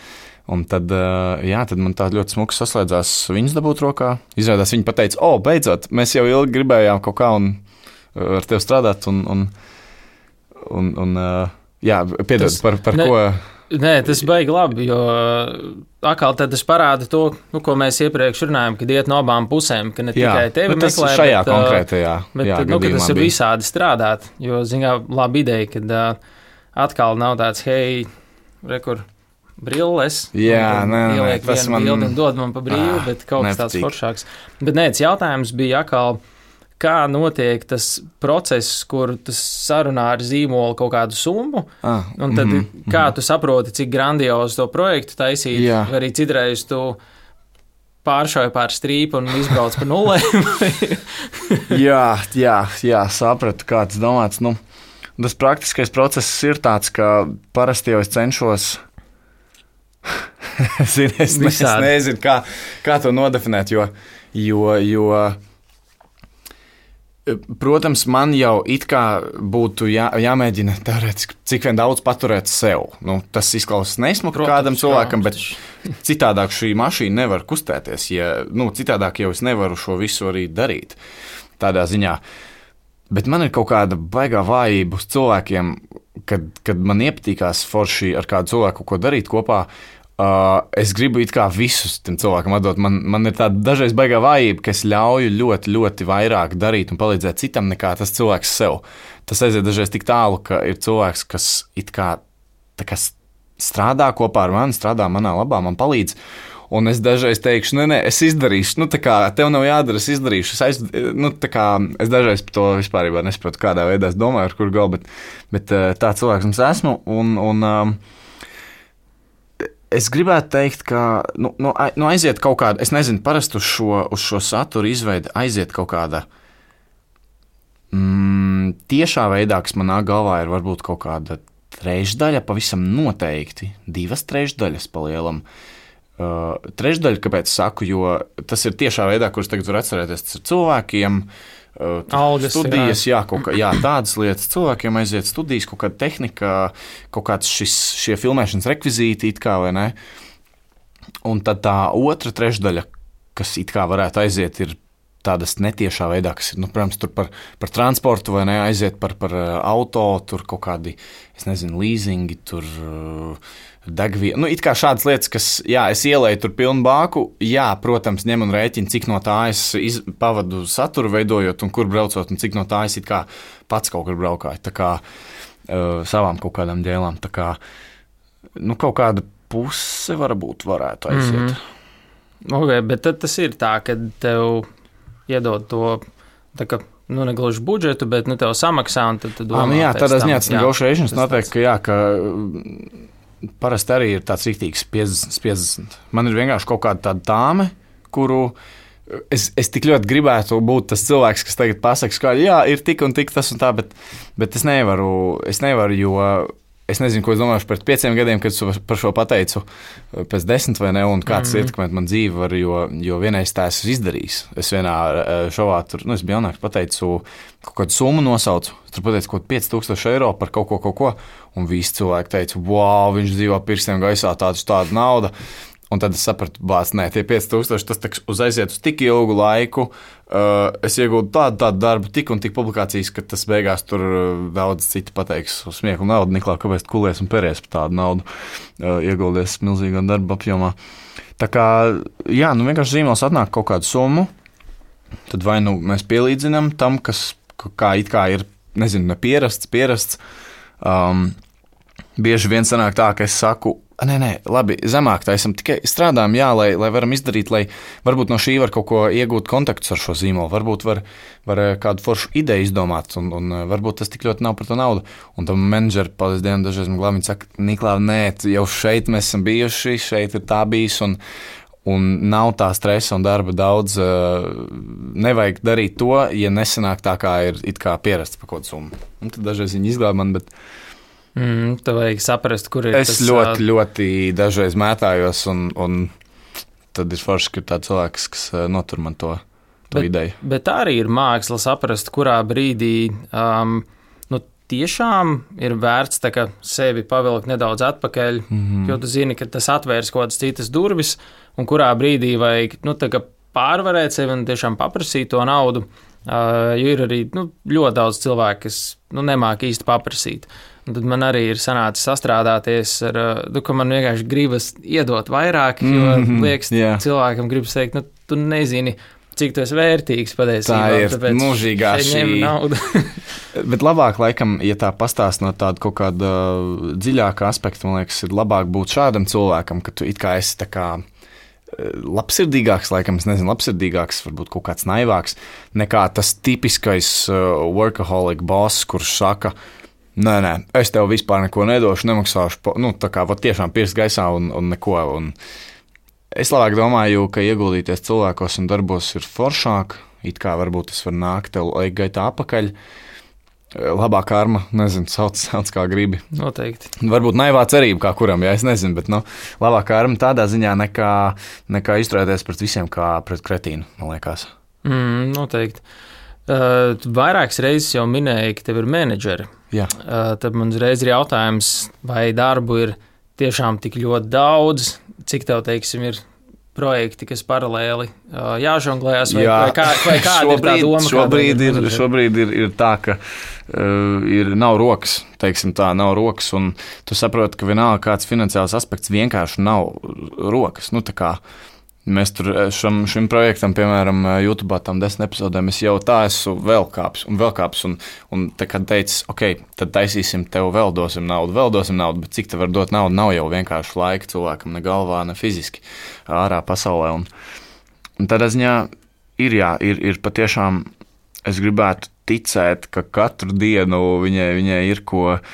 un tad, uh, jā, tad man tā ļoti smuks saslēdzās viņas dabūt rokā, izrādās viņa pateica, o, beidzot, mēs jau ilgi gribējām kaut kā un ar tevi strādāt, un, un, un, un uh, jā, piedod, par, par ne, ko. Nē, tas baigi labi, jo atkal tad tas parāda to, nu, ko mēs iepriekš runājām, kad iet no abām pusēm, ka ne jā, tikai tevi nu, meklē, šajā bet, konkrētajā bet, jā, nu, ka tas ir bija. visādi strādāt, jo, zinā, laba ideja, kad uh, atkal nav tāds, hei, rekur, brilles, jā, nē, ieliek nē, vienu man... bildi un dod man pa brīvu, bet kaut kas tāds foršāks. Bet nē, tas jautājums bija atkal, kā notiek tas process, kur tas sarunā ar zīmolu kaut kādu summu, ah, un tad mm-hmm, kā tu saproti, cik grandiozi to projektu taisīt, jā. Vai arī citreiz tu pāršauji pār strīpu un izbrauc pa nulēm. jā, jā, jā, sapratu, kā tas domāts. Nu, tas praktiskais process ir tāds, ka parasti jau es cenšos, Zini, es, es nezinu, kā, kā to nodefinēt, jo, jo, jo protams, man jau it kā būtu jā, jāmēģina teorētiski, cik vien daudz paturēt sev. Nu, tas izklausās nesmuki kādam cilvēkam, bet citādāk šī mašīna nevar kustēties. Ja, nu, citādāk jau es nevaru šo visu arī darīt tādā ziņā. Bet man ir kaut kāda baigā vājība uz cilvēkiem, kad, kad man iepatīkās forši ar kādu cilvēku ko darīt kopā. Uh, es gribu it kā visus tam cilvēkam atdot. Man, man ir tāda dažreiz baigā vājība, ka es ļauju ļoti, ļoti vairāk darīt un palīdzēt citam nekā tas cilvēks sev. Tas aiziet dažreiz tik tālu, ka ir cilvēks, kas it kā, kā strādā kopā ar mani, strādā manā labā, man palīdz. Un es dažreiz teikšu, nē, nē, es izdarīšu, nu tā kā tev nav jādara, es izdarīšu. Es, aiz, nu, tā kā, es dažreiz par to vispārībā nesaprotu, kādā veidā es domāju, ar kur galu, bet, bet tā cilvēks mums esmu. Un, un, um, es gribētu teikt, ka nu, nu, nu aiziet kaut kāda, es nezinu, parasti uz šo, uz šo saturu izveidi aiziet kaut kāda mm, tiešā veidā, kas manā galvā ir varbūt kaut kāda trešdaļa, pavisam noteikti, divas trešdaļas palielam. Uh, trešdaļa, kāpēc saku, jo tas ir tiešā veidā, kurus tagad var atcerēties, tas ir cilvēkiem, uh, Algas, studijas, jā, kaut kā, jā, tādas lietas, cilvēkiem aiziet studijas, kaut kāda tehnika, kaut kāds šis, šie filmēšanas rekvizīti, it kā, vai ne? Un tad tā otra trešdaļa, kas it kā varētu aiziet, ir tādas netiešā veidā, kas ir, nu, protams, tur par, par transportu, vai ne, aiziet par, par auto, tur kaut kādi, es nezinu, līzingi, tur uh, degviela. Nu, it kā šādas lietas, kas, jā, es ielēju tur pilnu bāku, jā, protams, ņem un rēķinu, cik no tā es iz, pavadu saturu veidojot un kur braucot, un cik no tā es it kā pats kaut kur braukāju, tā kā uh, savām kaut kādām dēlām, tā kā, nu, kaut kāda puse varbūt varētu aiziet. Mm-hmm. Ok, bet tad tas ir tā, ka tev iedod to, tā kā, nu, negluži budžetu, bet, nu, tev samaksā, un tad tu domā. Ah, nu, jā, tādā ziņā tas negotiations noteikti, ka jā, ka parasti arī ir tāds rīktīgs piecdesmit piecdesmit. Man ir vienkārši kaut kāda tāda dāme, kuru es, es tik ļoti gribētu būt tas cilvēks, kas tagad pasaka, ka jā, ir tik un tik tas un tā, bet, bet es nevaru, es nevaru, jo es nezinu, ko es domāju pēc pieciem gadiem, kad es par šo pateicu, pēc desmit vai ne, un kāds mm-hmm. ietekmēt man dzīvi var, jo, jo vienreiz tā esmu izdarījis. Es vienā šovā tur, nu, es biju jaunāks, pateicu kaut kādu summu nosaucu, tur pateicu kaut pieci tūkstoši eiro par kaut ko, kaut ko, un visi cilvēki teica, wow, viņš dzīvo pirkstiem gaisā, tādu tādu naudu. Un tad es sapratu, bāc, nē, tie pieci tūkstoši, tas taks uz aiziet uz tik ilgu laiku. Uh, es iegūtu tādu, tādu darbu, tik un tik publikācijas, ka tas beigās tur daudz citi pateiks uz smieku un naudu. Niklā, kāpēc tu kulies un peries par tādu naudu, uh, ieguldies milzīgā darba apjomā. Tā kā, jā, nu vienkārši zīmols atnāk kaut kādu summu, tad vai nu mēs pielīdzinām tam, kas kā it kā ir, nezinu, nepierasts, pierasts. Um, bieži vien sanāk tā, ka es saku, Nē, nē, labi, zemāk tā esam tikai strādājam, jā, lai, lai varam izdarīt, lai varbūt no šī var kaut ko iegūt kontaktus ar šo zīmolu, varbūt var, var kādu foršu ideju izdomāt, un, un varbūt tas tik ļoti nav par to naudu. Un tam menedžeri, paldies Dievam, dažreiz man glābi, viņi saka, Niklā, nē, jau šeit mēs esam bijuši, šeit ir tā bijis, un, un nav tā stresa un darba daudz. Nevajag darīt to, ja nesanāk tā, kā ir it kā pierasts par kaut kādu summu. Un tad dažreiz viņi izglābi man, bet... Mm, tev vajag saprast, kur ir es tas... Es ļoti, ļoti dažreiz mētājos, un, un tad ir forši, ka ir tāds cilvēks, kas notur man to, to bet, ideju. Bet arī ir māksla saprast, kurā brīdī um, nu, tiešām ir vērts tā, ka sevi pavilkt nedaudz atpakaļ, mm-hmm. jo tu zini, ka tas atvērs kaut kādas citas durvis, un kurā brīdī vajag nu, tā, pārvarēt sevi un tiešām paprasīt to naudu, uh, jo ir arī nu, ļoti daudz cilvēku, kas nu, nemāk īsti paprasīt. Un tad man arī ir sanācis sastrādāties ar, nu, ka man vienkārši gribas iedot vairāk, jo mm-hmm, liekas, yeah. cilvēkam gribas teikt, nu, tu nezini, cik tu esi vērtīgs patiesībā. Tā ir mūžīgā šī nauda. Bet labāk, laikam, ja tā pastāst no tāda kaut kāda dziļāka aspekta, man liekas, ir labāk būt šādam cilvēkam, ka tu it kā esi tā kā labsirdīgāks, laikam, es nezinu, labsirdīgāks, varbūt kaut kāds naivāks, nekā tas tipiskais workaholic boss, kurš saka, Nē, nē, es tev vispār neko nedošu, nemaksāšu, nu, tā kā var tiešām pirst gaisā un, un neko. Un es labāk domāju, ka ieguldīties cilvēkos un darbos ir foršāk, it kā varbūt tas var nākt tev laika gaitā apakaļ. Labā karma, nezinu, sauc, sauc kā gribi. Noteikti. Varbūt naivā cerība kā kuram, ja es nezinu, bet, nu, labā karma tādā ziņā nekā, nekā izturēties pret visiem kā pret kretīnu, man liekas. Mm, noteikti. Uh, vairākas reizes jau minēji, ka tev ir menedžeri. Jā. Uh, tad man uzreiz ir jautājums, vai darbu ir tiešām tik ļoti daudz, cik tev, teiksim, ir projekti, kas paralēli uh, jāžonglējas, vai, Jā. vai, kā, vai kāda šobrīd, ir tā doma? Šobrīd, ir, ir, šobrīd ir, ir tā, ka uh, ir, nav rokas, teiksim tā, nav rokas, un tu saproti, ka vienalga kāds finansiāls aspekts vienkārši nav rokas. Nu, tā kā mēs tur šam, šim projektam, piemēram, YouTube tam desmit epizodēm, es jau tā esmu vēl kāps un vēl kāps, un, un te, kad teicis, ok, tad taisīsim tev vēl dosim naudu, vēl dosim naudu, bet cik te var dot naudu, nav jau vienkārši laika cilvēkam, ne galvā, ne fiziski ārā pasaulē, un, un tādā ziņā ir, jā, ir, ir patiešām, es gribētu ticēt, ka katru dienu viņai, viņai ir ko uh,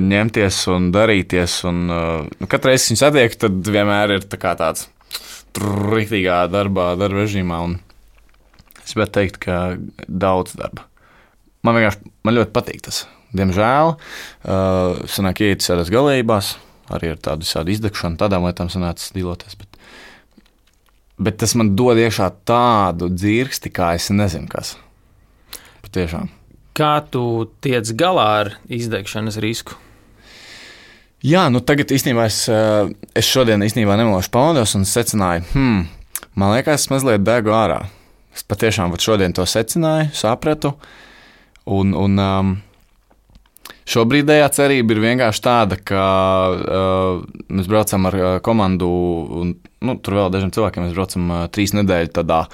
ņemties un darīties, un uh, nu, katru reizi viņu satiek, tad vienmēr ir tā kā tāds riktīgā darbā, darba režīmā, un es gribētu teikt, ka daudz darba. Man vienkārši, man ļoti patīk tas. Diemžēl, uh, sanāk iet sēdās galējībās, arī ar tādu visādu izdegšanu, tādām lietām sanācis dīloties, bet, bet tas man dod iekšā tādu dzirksti, kā es nezinu, kas. Patiešām. Kā tu tiec galā ar izdegšanas risku? Jā, nu tagad īstenībā es, es šodien īstenībā nemošu pamodos un secināju, hmm, man liekas, es mazliet degu ārā. Es patiešām šodien to secināju, sapratu, un, un um, šobrīdējā cerība ir vienkārši tāda, ka uh, mēs braucam ar komandu, un nu, tur vēl dažiem cilvēkiem mēs braucam uh, trīs nedēļu tādā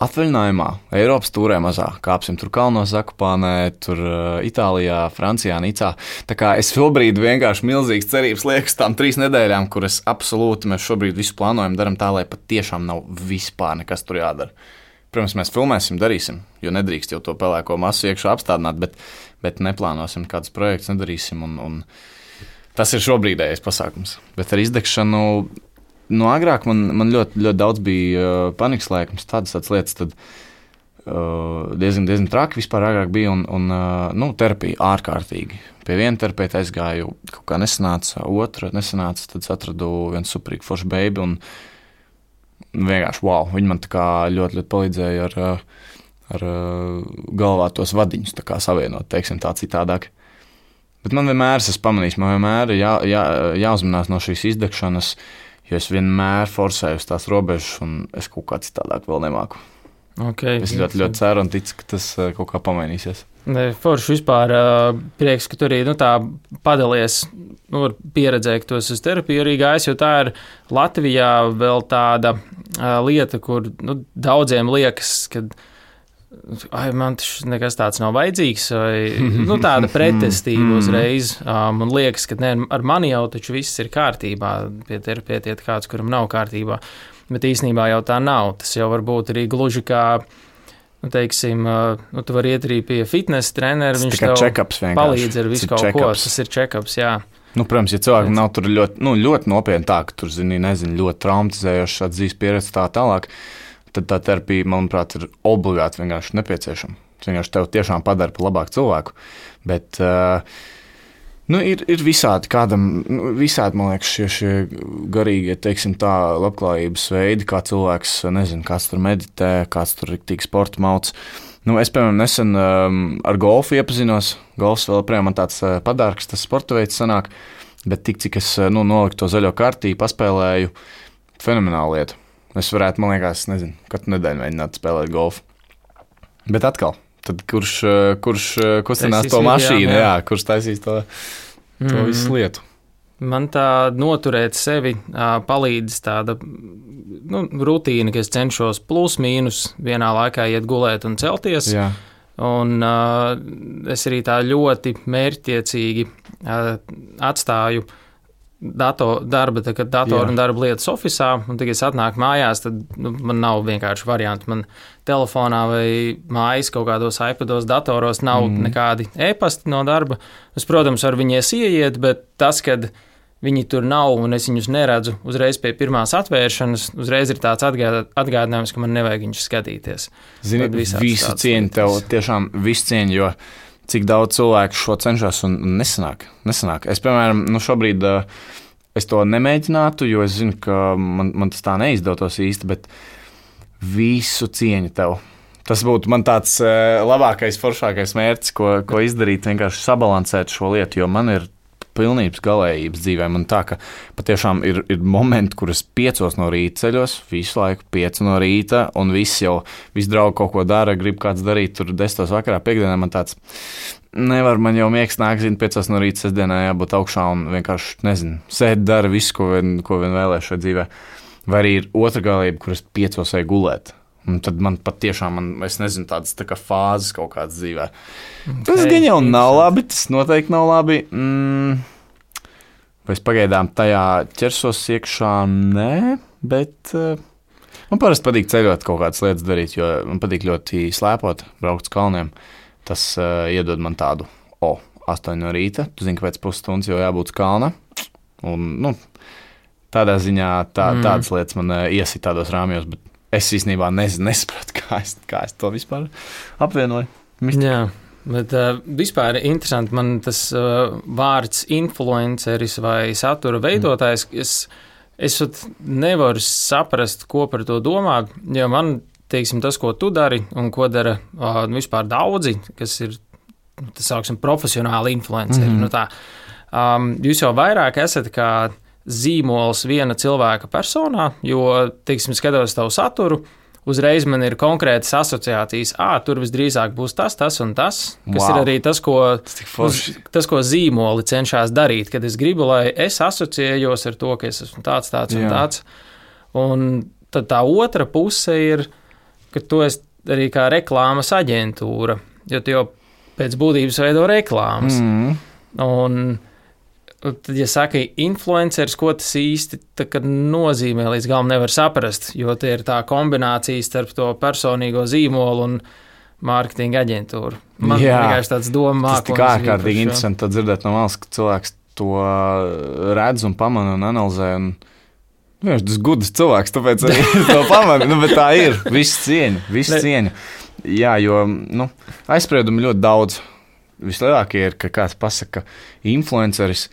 atvaļinājumā, Eiropas tūrē mazā, kāpsim tur kalnos Zakopānē, tur Itālijā, Francijā, Nicā. Tā kā es šobrīd vienkārši milzīgas cerības liekas tām trīs nedēļām, kuras absolūti mēs šobrīd visu plānojam, daram tā, lai pat tiešām nav vispār nekas tur jādara. Protams, mēs filmēsim, darīsim, jo nedrīkst jau to pelēko masu iekšā apstādināt, bet, bet neplānosim kādus projektus, nedarīsim, un, un tas ir šobrīdējais pasākums. Bet ar izdegšanu no agrāk man, man ļoti, ļoti daudz bija uh, panikas laikums, tādas, tādas lietas, tad diezgan, diezgan traki vispār agrāk bija, un, un nu, terapija ārkārtīgi. Pie viena terapeita aizgāju, kaut kā nesanāca, otra nesanāca, tad atradu vienu superīgu foršu beibi, un vienkārši wow, viņi man tā kā ļoti, ļoti palīdzēja ar, ar galvā tos vadiņus tā kā savienot, teiksim tā citādāk. Bet man vienmēr, es pamanīju, man vienmēr ir jā, jā, jāuzmanās no šīs izdegšanas, jo es vienmēr forsēju uz tās robežas, un es kaut kā citādāk vēl nemāku. Okay, es ļoti, ļoti ceru un ticu, ka tas kaut kā pamainīsies. Forši vispār prieks, ka tu arī nu, tā padalies nu, pieredzē, ka tu esi uz terapiju arī gājis, jo tā ir Latvijā vēl tāda lieta, kur nu, daudziem liekas, ka ai, man tas nekas tāds nav vajadzīgs, vai nu, tāda pretestība uzreiz. Man liekas, ka ne, ar mani jau taču viss ir kārtībā, pie terapeita iet kāds, kuram nav kārtībā. Bet īstenībā jau tā nav. Tas jau var būt arī gluži kā, nu, teiksim, nu, tu vari iet arī pie fitnesa trenera, viņš tev palīdz ar visu kaut ko. Tas ir check-ups, jā. Nu, protams, ja cilvēkam nav tur ļoti, nu, ļoti nopietni tā, ka tur, zini, nezinu, ļoti traumatizējoši šāds dzīves pieredze tā tālāk, tad tā terapija, manuprāt, ir obligāti vienkārši nepieciešama. Tas vienkārši tev tiešām padara par labāku cilvēku. Bet, uh, nu, ir, ir visādi kādam, nu, visādi, man liekas, šie, šie garīgie, teiksim tā, labklājības veidi, kā cilvēks, nezinu, kāds tur meditē, kāds tur riktīgi sporta mauc. Nu, es, piemēram, nesen um, ar golfu iepazinos. Golfs vēl projām man tāds uh, padārgs, tas sporta veids sanāk, bet tik, cik es nu, noliku to zaļo kartī, paspēlēju, fenomenāla lieta. Es varētu, man liekas, nezinu, katru nedēļu mēģināt spēlēt golfu. Bet atkal, tad kurš, kurš kustinās to mašīnu, jā, jā, kurš taisīs to, to mm. visu lietu. Man tā noturēt sevi palīdz tāda nu, rutīna, ka es cenšos plus mīnus vienā laikā iet gulēt un celties. Jā. Un uh, es arī tā ļoti mērķtiecīgi uh, atstāju dator, darba, tā, kad datoru un darba lietas ofisā, un tagad es atnāku mājās, tad nu, man nav vienkārši varianti. Man telefonā vai mājas kaut kādos iPados, datoros nav mm. nekādi e-pasti no darba. Es, protams, varu viņies ieiet, bet tas, kad viņi tur nav un es viņus neredzu uzreiz pie pirmās atvēršanas, uzreiz ir tāds atgādinājums, ka man nevajag viņus skatīties. Zini, visu cieņu tev, tiešām visu cieņu, jo cik daudz cilvēku šo cenšas un nesanāk. nesanāk. Es, piemēram, nu šobrīd es to nemēģinātu, jo es zinu, ka man, man tas tā neizdotos īsti, bet visu cieņu tev. Tas būtu man tāds labākais, foršākais mērķis, ko, ko izdarīt, vienkārši sabalansēt šo lietu, jo man ir pilnības galējības dzīvē. Man tā, ka patiešām ir, ir momenti, kur es piecos no rīta ceļos, visu laiku pieci no rīta, un visi jau, visi draugi kaut ko dara, grib kāds darīt, tur desmitos vakarā, piekdienā man tāds, nevar, man jau miegs nāk, zinu, piecos no rīta, sestdienā jābūt augšā un vienkārši, nezinu, sēd, dara visu, ko vien, ko vien vēlēs šajā dzīvē. Vai arī ir otra galība, kur es piecos eju gulēt. Un tad man pat tiešām, man, es nezinu, tādas tā kā fāzes kaut kādas dzīvē. Okay. Tas gan jau nav labi, tas noteikti nav labi. Mm, vai es pagaidām tajā ķersos iekšā? Nē, bet uh, man parasti patīk ceļot kaut kādas lietas darīt, jo man patīk ļoti slēpot, braukt uz kalniem. Tas uh, iedod man tādu, o, astoņi no rīta, tu zini, ka pēc pusstundas jau jābūt uz kalna. Un, nu, tādā ziņā tā, mm. tādas lietas man uh, iesit tādos rāmjos, bet es īstenībā nezinu, nesapratu, kā es, kā es to vispār apvienoju. Mistika. Jā, bet uh, vispār interesanti, man tas uh, vārds influenceris vai satura veidotājs, es, es nevaru saprast, ko par to domāt, jo man, teiksim, tas, ko tu dari un ko dara uh, vispār daudzi, kas ir, tas sauksim, profesionāli influenceri, mm. nu tā, um, jūs jau vairāk esat kā zīmols viena cilvēka personā, jo, teiksim, skatos tavu saturu, uzreiz man ir konkrētas asociācijas, ā, tur visdrīzāk būs tas, tas un tas, kas wow. ir arī tas, ko, uz, tas, ko zīmoli cenšas darīt, kad es gribu, lai es asociējos ar to, ka es esmu tāds, tāds un Jā. tāds. Un tad tā otra puse ir, ka tu esi arī kā reklāmas aģentūra, jo tu jau pēc būtības veido reklāmas. Mm. Un tad, ja saka influenceris, ko tas īsti nozīmē, līdz galam nevar saprast, jo tie ir tā kombinācija starp to personīgo zīmolu un mārketinga aģentūru. Man vienkārši tāds doma mākslinieks. Tas tik ārkārtīgi interesanti dzirdēt no malas, ka cilvēks to redz un pamana un analizē. Un viņš tas gudrs cilvēks, tāpēc arī to pamana. Nu, bet tā ir. Viss cieņa, viss cieņa. Jā, jo nu, aizspriedumi ļoti daudz. Vislielākie ir, ka kāds pasaka influenceris,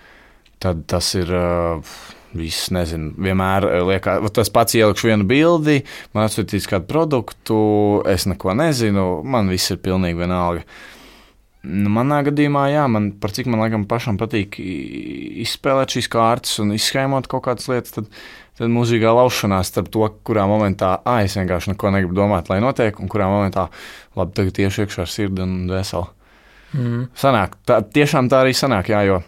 tad tas ir... Uh, Viss, nezinu, vienmēr liekas, tas pats ielikšu vienu bildi, man atsūtīs kādu produktu, es neko nezinu, man viss ir pilnīgi vienalga. Nu, manā gadījumā, jā, man par cik man laikam pašam patīk izspēlēt šīs kārtas un izskaimot kaut kādas lietas, tad, tad mūžīgā laušanās starp to, kurā momentā, ā, es vienkārši neko negribu domāt, lai notiek, un kurā momentā, labi, tagad tieši iekšā ar sirdi un veselu. Mm. Sanāk, tā, tiešām tā arī sanāk, jā, jo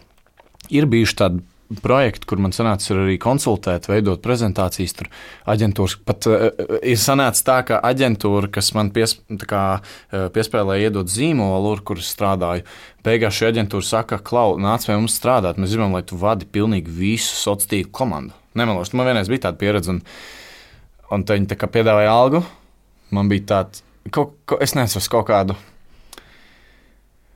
ir bijuši tādi projekti, kur man sanāca arī konsultēt, veidot prezentācijas, tur aģentūras, pat uh, ir sanāca tā, ka aģentūra, kas man pies, kā, uh, piespēlēja iedot zīmolu, kur es strādāju, beigās šī aģentūra saka, Klau, nāc pie mums strādāt, mēs gribam, lai tu vadi pilnīgi visu sociālo tīklu komandu. Nemelošu, man vienreiz bija tāda pieredze, un, un viņi tā kā piedāvāja algu, man bija tāds, kaut, kaut, es nesaku kaut kādu,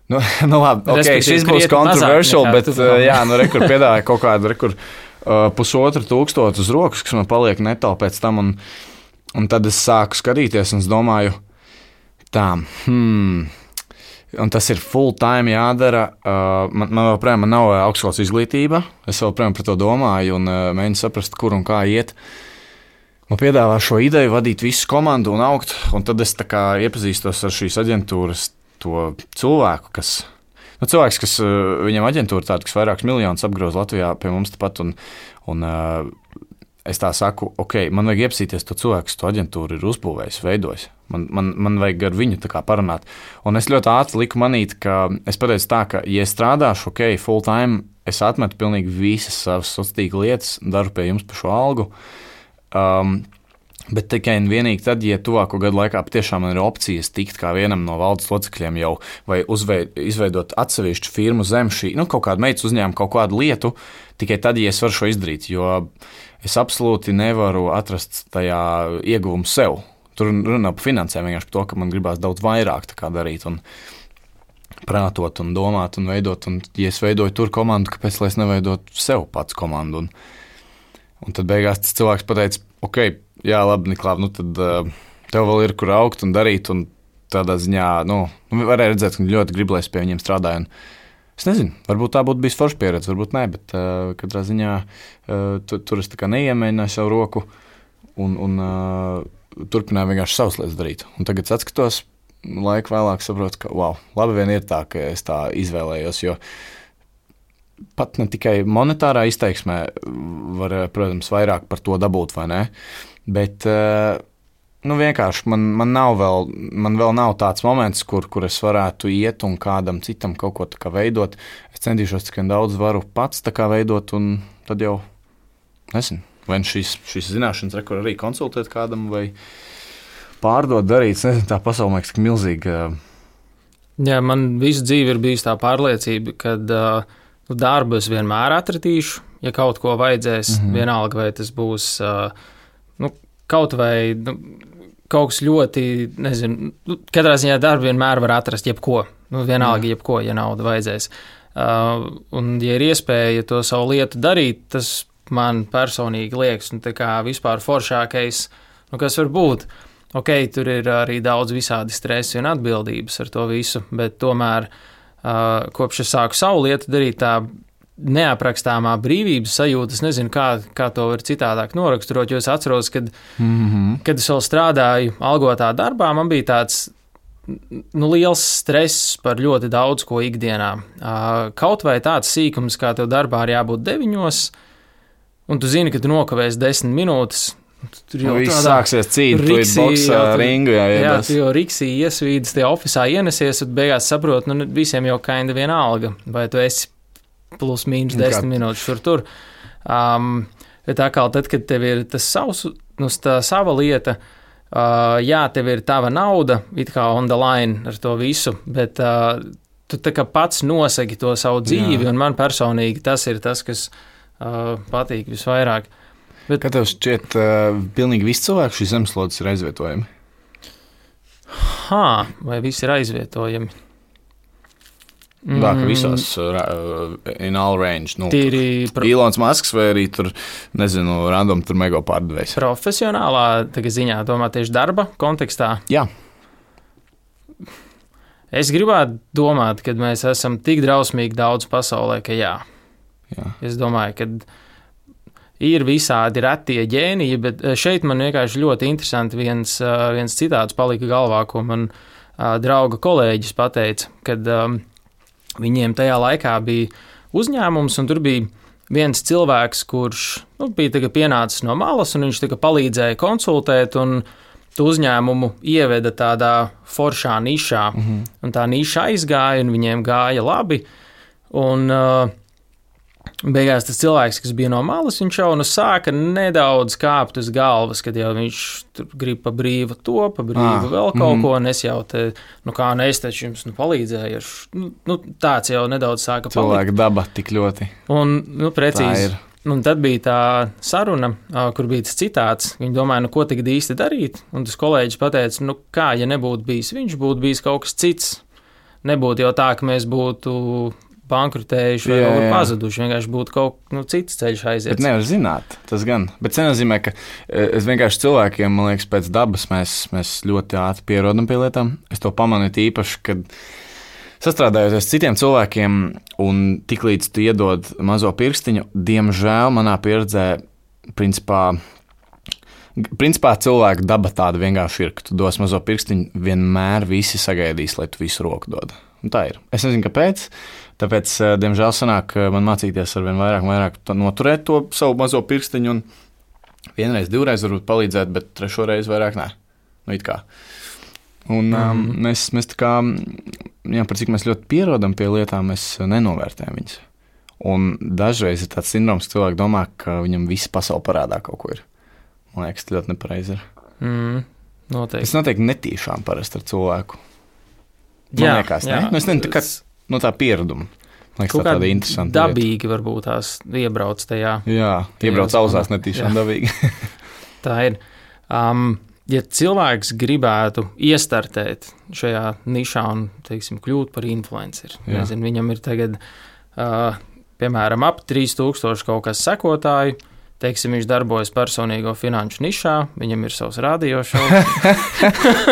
Nu, nu labi, okay, šis būs controversial, bet uh, jā, nu rekur piedāvāja kaut kādu rekur uh, pusotru tūkstotu uz rokas, kas man paliek neto pēc tam, un, un tad es sāku skatīties, un es domāju, tā, hmm, un tas ir full time jādara, uh, man, man joprojām man nav augstskolas izglītība, es joprojām par to domāju, un uh, mēģinu saprast, kur un kā iet. Man piedāvā šo ideju vadīt visu komandu un augt, un tad es tā kā iepazīstos ar šīs aģentūras to cilvēku, kas, nu, cilvēks, kas viņam aģentūra tāda, kas vairākus miljonus apgroz Latvijā pie mums tepat, un, un uh, es tā saku, ok, man vajag iepazīties to cilvēku, kas to aģentūru ir uzbūvējis, veidojis. Man, man, man vajag ar viņu tā kā parunāt. Un es ļoti ātri liku manīt, ka es pateicu tā, ka, ja es strādāšu, ok, full time, es atmetu pilnīgi visas savas sociālās tīkla lietas, daru pie jums par šo algu. Um, Bet tikai un vienīgi tad, ja tuvāko gadu laikā patiešām man ir opcijas tikt kā vienam no valdes locekļiem jau vai uzveid, izveidot atsevišķu firmu zem šī, nu, kaut kādu meitas uzņēmumu, kaut kādu lietu, tikai tad, ja es varu šo izdarīt, jo es absolūti nevaru atrast tajā ieguvumu sev. Tur runā par finansēm, vienkārši par to, ka man gribās daudz vairāk tā kā darīt un prātot un domāt un veidot, un ja es veidoju tur komandu, kāpēc lai es neveidotu sev pats komandu? Un, un tad beigās tas cilvēks pateica, ok, jā, labi, Niklāv, nu tad uh, tev vēl ir kur augt un darīt, un tādā ziņā, nu, varēja redzēt, ka ļoti grib, lai es pie viņiem strādāju. Un es nezinu, varbūt tā būtu bijis forša pieredze, varbūt nē, bet uh, katrā ziņā uh, tu, tur es tā kā neiemēģināju savu roku un, un uh, turpināju vienkārši savas lietas darīt. Un tagad atskatos, laiku vēlāk saprotu, ka, wow, labi vien ir tā, ka es tā izvēlējos, jo pat ne tikai monetārā izteiksmē var, protams, vairāk par to dabūt, vai ne? Bet, nu, vienkārši man, man nav vēl, man vēl nav tāds moments, kur, kur es varētu iet un kādam citam kaut ko tā kā veidot. Es centīšos tikai daudz varu pats tā kā veidot, un tad jau, nezinu, vai šīs, šīs zināšanas rekur arī konsultēt kādam, vai pārdot, darīt, nezinu, tā pasaule liekas tik milzīga. Jā, man visu dzīvi ir bijusi tā pārliecība, kad uh, darbu es vienmēr atradīšu, ja kaut ko vajadzēs, mm-hmm. vienalga, vai tas būs uh, nu, kaut vai nu, kaut kas ļoti, nezinu, nu, katrā ziņā darbu vienmēr var atrast jebko, nu, vienalga mm. jebko, ja nauda vajadzēs. Uh, un, ja ir iespēja to savu lietu darīt, tas man personīgi liekas, nu, tā kā vispār foršākais, nu, kas var būt. Ok, tur ir arī daudz visādi stresi un atbildības ar to visu, bet tomēr Uh, kopš es sāku savu lietu darīt, tā neaprakstāmā brīvības sajūta, es nezinu, kā, kā to var citādāk noraksturot, jo es atceros, kad, mm-hmm. kad es vēl strādāju algotā darbā, man bija tāds nu, liels stress par ļoti daudz ko ikdienā. Uh, kaut vai tāds sīkums, kā tev darbā ir jābūt deviņos, un tu zini, ka tu nokavēsi desmit minūtes, tur jau viss sāksies cīņa, tu ir boksā ringu, jā, jā, tu jau riksī iesvīdas, tie ofisā ienesies, un beigās saprot, nu, visiem jau kainda viena alga, vai tu esi plus mīnus desmit minūtes šur tur. Um, bet atkal tad, kad tev ir tas savs, nu, tā sava lieta, uh, jā, tev ir tava nauda, it kā on the line ar to visu, bet uh, tu tā kā pats nosagi to savu dzīvi, jā. Un man personīgi tas ir tas, kas uh, patīk visvairāk. Bet, kā tev šķiet, uh, pilnīgi visi cilvēki šīs zemeslodes ir aizvietojami? Hā, vai visi ir aizvietojami? Mm. Tā, ka visās uh, in all range. Nu, Tīri pro... Ilons Masks vai arī tur, nezinu, random tur mega pārdevējs. Profesionālā ziņā, domā tieši darba kontekstā? Jā. es gribētu domāt, ka mēs esam tik drausmīgi daudz pasaulē, ka jā. jā. Es domāju, ka ir visādi retie ģēniji, bet šeit man vienkārši ļoti interesanti viens, viens citāts palika galvā, ko man drauga kolēģis pateica, kad um, viņiem tajā laikā bija uzņēmums, un tur bija viens cilvēks, kurš nu, bija pienācis no malas, un viņš palīdzēja konsultēt, un tu uzņēmumu ieveda tādā foršā nišā, mm-hmm. un tā niša aizgāja, un viņiem gāja labi, un uh, beigās tas cilvēks, kas bija no malas, viņš jau nu sāka nedaudz kāpt uz galvas, kad jau viņš tur grib pa brīvu to, pa brīvu ah, vēl kaut mm. ko, un es jau te, nu kā nu es taču jums nu palīdzēju, nu, nu tāds jau nedaudz sāka palikt. Cilvēka daba tik ļoti. Un, nu precīzi, un tad bija tā saruna, kur bija tas citāts, viņi domāja, nu ko tagad īsti darīt, un tas kolēģis pateica, nu kā, ja nebūtu bijis viņš, būtu bijis kaut kas cits, nebūtu jau tā, ka mēs būtu bankrutējuši vai jā, jā. pazuduši, vienkārši būtu kaut nu, cits ceļš aiziet. Bet nevar zināt, tas gan. Bet tas nenozīmē, ka es vienkārši cilvēkiem, man liekas, pēc dabas mēs, mēs ļoti ātri pierodam pie lietām. Es to pamanu īpaši, kad sastrādājoties citiem cilvēkiem un tiklīdz tu iedod mazo pirkstiņu, diemžēl manā pieredzē, principā, principā cilvēku daba tāda vienkārši ir, ka tu dos mazo pirkstiņu, vienmēr visi sagaidīs, lai tu visu roku dod. Un tā ir. Es nezinu, kāpēc, tāpēc, diemžēl, sanāk man mācīties ar vien vairāk un vairāk noturēt to savu mazo pirkstiņu un vienreiz, divreiz varbūt palīdzēt, bet trešo reizi vairāk nē. Nu, it kā. Un mm. um, mēs, mēs tā kā, jā, par cik mēs ļoti pierodam pie lietām, mēs nenovērtējam viņas. Un dažreiz ir tāds sindroms, ka cilvēki domā, ka viņam viss pasaule parādā kaut ko ir. Man liekas, tas ļoti nepareizi ir. Mm, noteikti. Es noteikti netīšām parasti ar cilvēku. Man jā, liekas, jā. Ne? Nu, es nezinu, tā kā no tā piereduma. Man liekas, tā tāda interesanta dabīgi lieta. Varbūt tās iebrauc tajā. Jā, iebrauc auzās netīšām dabīgi. Tā ir. Um, ja cilvēks gribētu iestartēt šajā nišā un, teiksim, kļūt par influenceri, nezinu, viņam ir tagad, uh, piemēram, ap trīs tūkstoši kaut kas sekotāju, teiksim, viņš darbojas personīgo finanšu nišā, viņam ir savs radio šovs.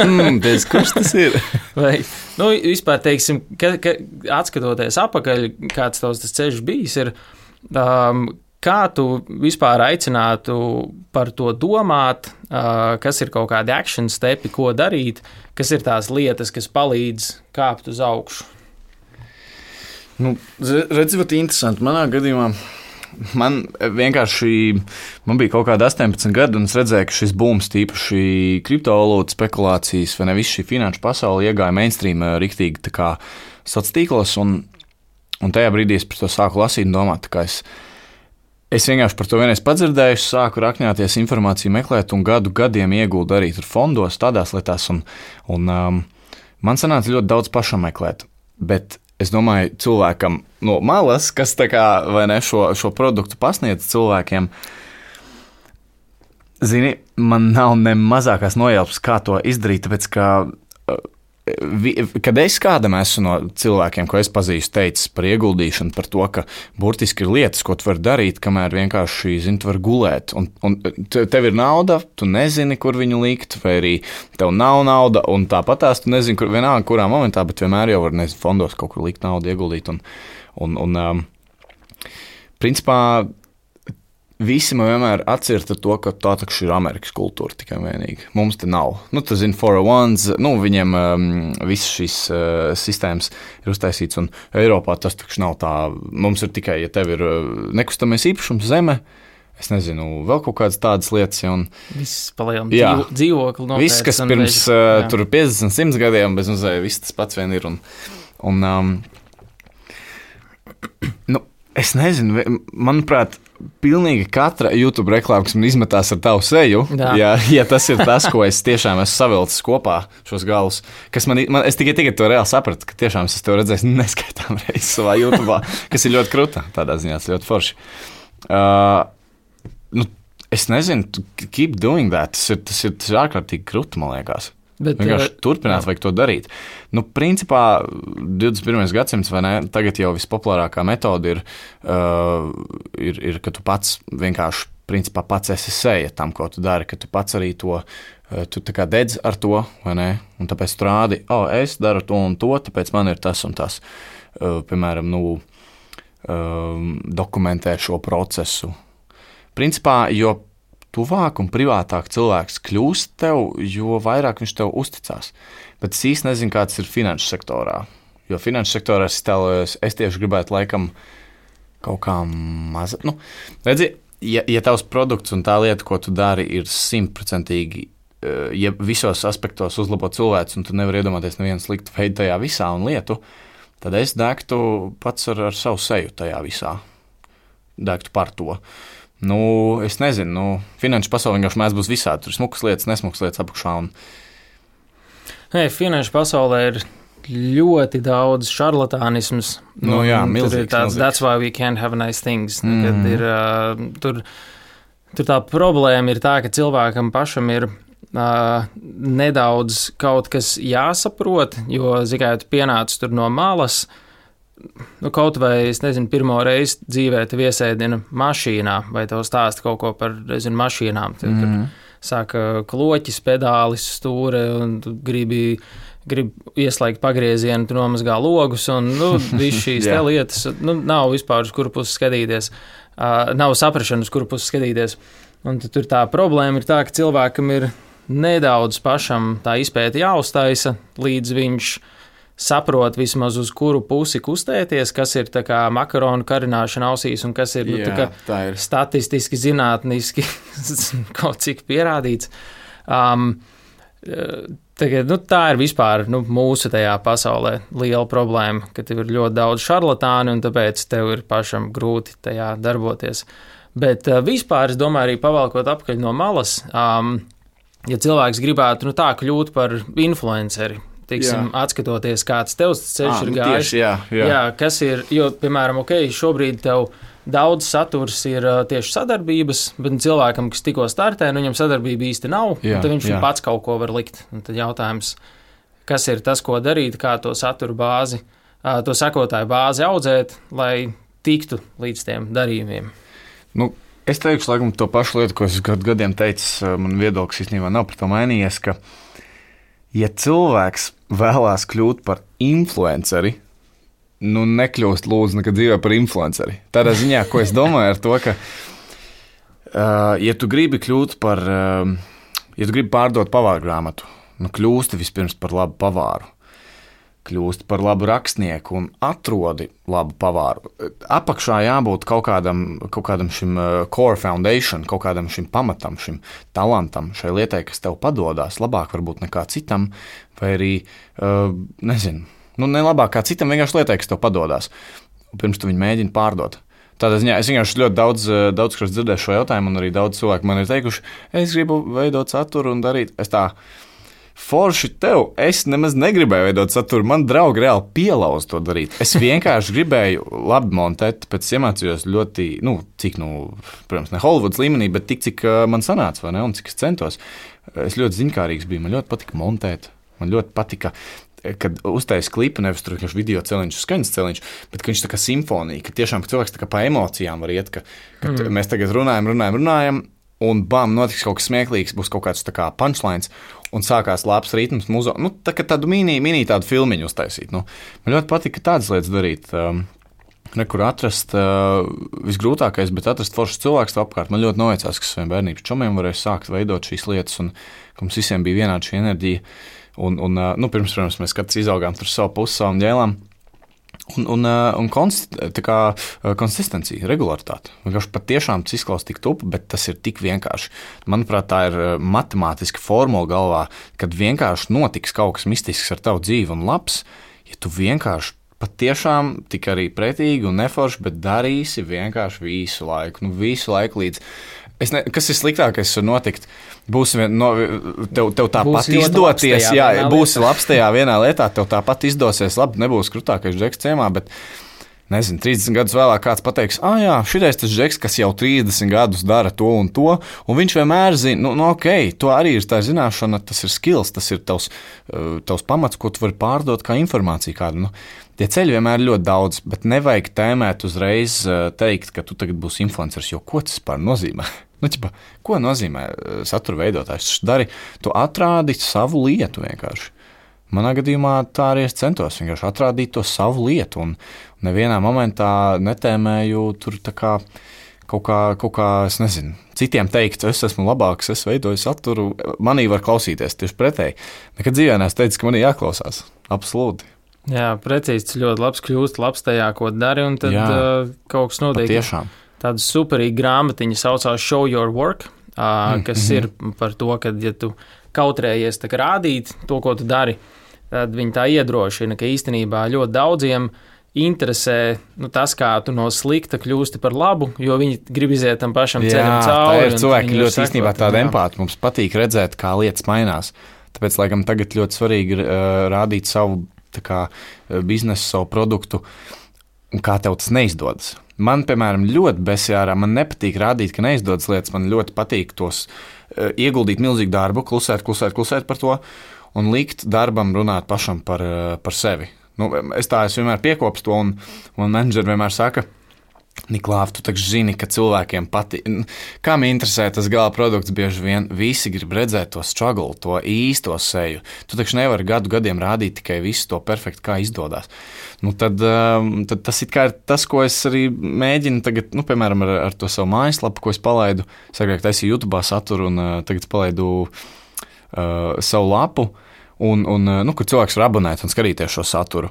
mm, Teic, kurš tas ir? Vai, nu, vispār, teiksim, ka, ka, atskatoties apakaļ, kāds tavs tas ceļš bijis, ir, um, kā tu vispār aicinātu par to domāt, uh, kas ir kaut kādi action stepi, ko darīt, kas ir tās lietas, kas palīdz kāpt uz augšu? Nu, redz, ļoti interesanti. Manā gadījumā man vienkārši, man bija kaut kāda astoņpadsmit gadi, un es redzēju, ka šis booms, tīpaši kriptovalūtu spekulācijas, vai ne viss šī finanšu pasaule iegāja mainstream riktīgi tā kā sociālos tīklos, un, un tajā brīdī es par to sāku lasīt un domāt, tā kā es, es vienkārši par to vienreiz padzirdēju, sāku rakņāties informāciju meklēt, un gadu gadiem ieguldu arī tur fondos, tādās lietās, un, un um, man sanāca ļoti daudz pašam meklēt, bet es domāju, cilvēkam no malas, kas tā kā, vai ne, šo, šo produktu pasniedz cilvēkiem, zini, man nav ne mazākās nojausmas, kā to izdarīt, tāpēc, ka, kad es kādam esmu no cilvēkiem, ko es pazīstu, teicis par ieguldīšanu, par to, ka burtiski ir lietas, ko tu vari darīt, kamēr vienkārši, zini, tu vari gulēt, un, un tev ir nauda, tu nezini, kur viņu likt, vai arī tev nav nauda, un tāpatās tu nezini, kur, vienalga, kurā momentā, bet vienmēr jau var, nezinu, fondos kaut kur likt naudu, ieguldīt, un, un, un um, principā, visi man vienmēr atcirta to, ka tā taču ir Amerikas kultūra tikai vienīgi. Mums te nav. Nu, tu zini, four oh ones, nu, viņiem um, visas šīs uh, sistēmas ir uztaisīts, un Eiropā tas taču nav tā. Mums ir tikai, ja tev ir uh, nekustamais īpašums zeme, es nezinu, vēl kaut kādas tādas lietas. Ja, un, viss palielam dzīvo, dzīvokli noteikti. Viss, kas pirms uh, tur piecdesmit, simt gadiem, bez mazai, viss tas pats vien ir. Un, un um, nu, es nezinu, manuprāt, pilnīgi katra YouTube reklāma, kas man izmetās ar tavu seju, ja, ja tas ir tas, ko es tiešām esmu savilcis kopā, šos galus, kas man, man es tikai tagad to reāli sapratu, ka tiešām es to redzēju neskaitām reizes savā YouTube, kas ir ļoti kruta, tādā ziņā, tas ļoti forši. Uh, nu, es nezinu, keep doing that, tas ir, tas ir, tas ir ārkārtīgi kruta, man liekas. Bet, vienkārši uh, turpināt, jā. Vajag to darīt. Nu, principā, divdesmit pirmais gadsimts, vai ne, tagad jau vispopulārākā metode ir, uh, ir, ir, ka tu pats vienkārši, principā, pats esi seja tam, ko tu dari, ka tu pats arī to tu tā kā dedz ar to, vai ne? Un tāpēc tu rādi, o, oh, es daru to un to, tāpēc man ir tas un tas. Piemēram, nu, dokumentē šo procesu. Principā, jo tuvāk un privātāk cilvēks kļūst tev, jo vairāk viņš tev uzticās. Bet es īsti nezinu, kāds ir finanšu sektorā. Jo finanšu sektorā es, tēlojos, es tieši gribētu laikam kaut kā maza. Nu, redzi, ja, ja tavs produkts un tā lieta, ko tu dari, ir simtprocentīgi, ja visos aspektos uzlabo cilvēks, un tu nevari iedomāties nevienu sliktu veidu tajā visā un lietu, tad es degtu pats ar, ar savu seju tajā visā. Degtu par to. Nu, es nezinu, nu, finanšu pasaulē vienkārši mēs būs visādi. Tur ir smukas lietas, nesmukas lietas apakšā. Un... Hey, finanšu pasaulē ir ļoti daudz šarlatānisms. Nu, jā, milzīgs. Tur ir tāds, milzīgs. That's why we can't have nice things. Mm. Kad ir, uh, tur, tur tā problēma ir tā, ka cilvēkam pašam ir Uh, nedaudz kaut kas jāsaprot, jo, zikai, tu pienāc tur no malas, nu, kaut vai, es nezinu, pirmo reizi dzīvē tev iesēdina mašīnā, vai tev stāsta kaut ko par, nezinu, mašīnām, tad, mm. kad sāka kloķis, pedālis, stūre, un tu gribi, gribi ieslēgt pagriezienu, tu nomazgā logus, un, nu, viss šīs te lietas, nu, nav vispār uz kuru pusi skatīties, uh, nav saprašana, uz kuru pusi skatīties, un tad tur tā problēma ir tā, ka cilvēkam ir nedaudz pašam tā izpēta jāuztaisa, līdz viņš saprot vismaz uz kuru pusi kustēties, kas ir tā kā makaronu karināšana ausīs un kas ir, nu, Jā, tā kā tā ir statistiski, zinātniski kaut cik pierādīts. Um, tagad, nu, tā ir vispār nu, mūsu tajā pasaulē liela problēma, ka tev ir ļoti daudz šarlatāni un tāpēc tev ir pašam grūti tajā darboties. Bet uh, vispār, es domāju, arī pavalkot apkaļ no malas, um, ja cilvēks gribētu nu, tā kļūt par influenceri, tiksim, jā. Atskatoties, kāds tevs ceļš à, ir nu, gājis. Tieši, jā, jā. jā, kas ir, jo, piemēram, ok, šobrīd tev daudz saturs ir uh, tieši sadarbības, bet cilvēkam, kas tikko startē, nu, viņam sadarbība īsti nav, jā, tad viņš jā. Pats kaut ko var likt. Un tad jautājums, kas ir tas, ko darīt, kā to saturu bāzi, uh, to sekotāju bāzi audzēt, lai tiktu līdz tiem darījumiem. Nu, es teikšu, laikam, to pašu lietu, ko es gadu gadiem teicu, man viedoklis īstenībā nav par to mainījies, ka, ja cilvēks vēlās kļūt par influenceri, nu, nekļūst lūdzu nekad dzīvē par influenceri. Tādā ziņā, ko es domāju ar to, ka, uh, ja tu gribi kļūt par, uh, ja tu gribi pārdot pavāru grāmatu, nu, kļūsti vispirms par labu pavāru. Kļūst par labu rakstnieku un atrodi labu pavāru. Apakšā jābūt kaut kādam, kaut kādam šim core foundation, kaut kādam šim pamatam, šim talantam, šai lietai, kas tev padodās, labāk varbūt nekā citam, vai arī, uh, nezinu, nu ne labāk kā citam, vienkārši lietai, kas tev padodās. Pirms tu viņu mēģini pārdot. Tādā ziņā es vienkārši ļoti daudz, daudz kas dzirdēju šo jautājumu, un arī daudz cilvēku man ir teikuši, es gribu veidot saturu un darīt. Es tā... Forši tev, es nemaz negribēju veidot saturu, man draugi reāli pielauz to darīt. Es vienkārši gribēju labi montēt, pēc iemācījos ļoti, nu, cik, nu, protams, ne Hollywoods līmenī, bet tik, cik man sanāca, vai ne, un cik es centos. Es ļoti ziņkārīgs biju, man ļoti patika montēt, man ļoti patika, kad uztais klipu, nevis tur vienkārši video celiņš, skaņas celiņš, bet ka viņš tā kā simfonija, ka tiešām ka cilvēks tā kā pa emocijām var iet, ka, ka mm. mēs tagad runājam, runājam, runājam, un bam, notiks kaut kas smieklīgs, būs kaut kāds tā kā punchlines, un sākās labs ritms, muzo, nu, tā kā tādu mini, mini tādu filmiņu uztaisīt. Nu, man ļoti patika tādas lietas darīt, um, nekur atrast uh, visgrūtākais, bet atrast foršas cilvēks apkārt. Man ļoti noveicās, ka saviem bērnības čomiem varēja sākt veidot šīs lietas, un ka mums visiem bija vienāda šī enerģija, un, un uh, nu, pirms, protams, mēs katrs izaugām tur savu pusi, savām ģēlām. Un, un, un konst, kā, konsistencija, regularitāte. Vienkārši patiešām tas izklausās tik tupi, bet tas ir tik vienkārši. Manuprāt, tā ir matemātiska formula galvā, kad vienkārši notiks kaut kas mistisks ar tavu dzīvi un labs, ja tu vienkārši patiešām tik arī pretīgi un neforši, bet darīsi vienkārši visu laiku, nu visu laiku līdz... Es ne, kas ir sliktākais var notikt? Būs vien, no, tev, tev tāpat izdoties, jā, būsi labs tajā vienā lietā, tev tāpat izdosies, labi, nebūs krutākais džeks ciemā, bet, nezinu, trīsdesmit gadus vēlāk kāds pateiks, ah, jā, šitais tas džeks, kas jau trīsdesmit gadus dara to un to, un viņš vienmēr zina, nu, nu ok, to arī ir tā zināšana, tas ir skills, tas ir tavs, tavs pamats, ko tu vari pārdot kā informāciju kādu, nu. Tie ceļi vienmēr ir ļoti daudz, bet nevajag tēmēt uzreiz teikt, ka tu tagad būsi influenceris, jo ko tas par nozīmē? Nu, ķipa, ko nozīmē satura veidotājs? Tu dari, tu atrādi savu lietu vienkārši. Manā gadījumā tā arī es centos vienkārši atrādīt to savu lietu, un nevienā momentā netēmēju tur tā kā kaut kā, kaut kā, es nezinu, citiem teikt, es esmu labāks, es veidoju saturu, manī var klausīties tieši pretēji. Nekad dzīvē neesmu teicis, ka manī jāklausās. Absolūti. Jā, precīzi, tas ļoti labs kļūst, labs tajā, ko dari, un tad uh, kaut kas notiek. Patiešām. Tāda superīga grāmatiņa saucās Show Your Work, uh, kas mm-hmm. ir par to, ka, ja tu kautrējies tā kā rādīt to, ko tu dari, tad viņi tā iedrošina, ka īstenībā ļoti daudziem interesē nu, tas, kā tu no slikta kļūsti par labu, jo viņi grib iziet tam pašam jā, ceļam cauri. Jā, tā ir cilvēki ļoti sakot, īstenībā tāda empāti. Mums patīk redzēt, kā lietas mainās. Tāpēc, laikam, tagad ļoti svarīgi ir uh, rādīt savu tā kā, biznesu, savu produktu, un kā tev tas neizdodas. Man, piemēram, ļoti besjārā, man nepatīk rādīt, ka neizdodas lietas, man ļoti patīk tos uh, ieguldīt milzīgu darbu, klusēt, klusēt, klusēt par to, un likt darbam runāt pašam par, uh, par sevi. Nu, es tā es vienmēr piekopu to, un, un menedžeri vienmēr saka, Niklāv, tu taču zini, ka cilvēkiem patīk. Kam interesē tas gala produkts, bieži vien visi grib redzēt to struggle, to īsto seju. Tu taču nevari gadu gadiem rādīt tikai visu to perfekti, kā izdodas. Nu, tad, tad tas ir tas, ko es arī mēģinu tagad, nu, piemēram, ar, ar to savu mājaslapu, ko es palaidu. Es agrāk taisīju YouTube saturu, un uh, tagad palaidu uh, savu lapu. Un, un, nu, kur cilvēks var abonēt un skatīties šo saturu.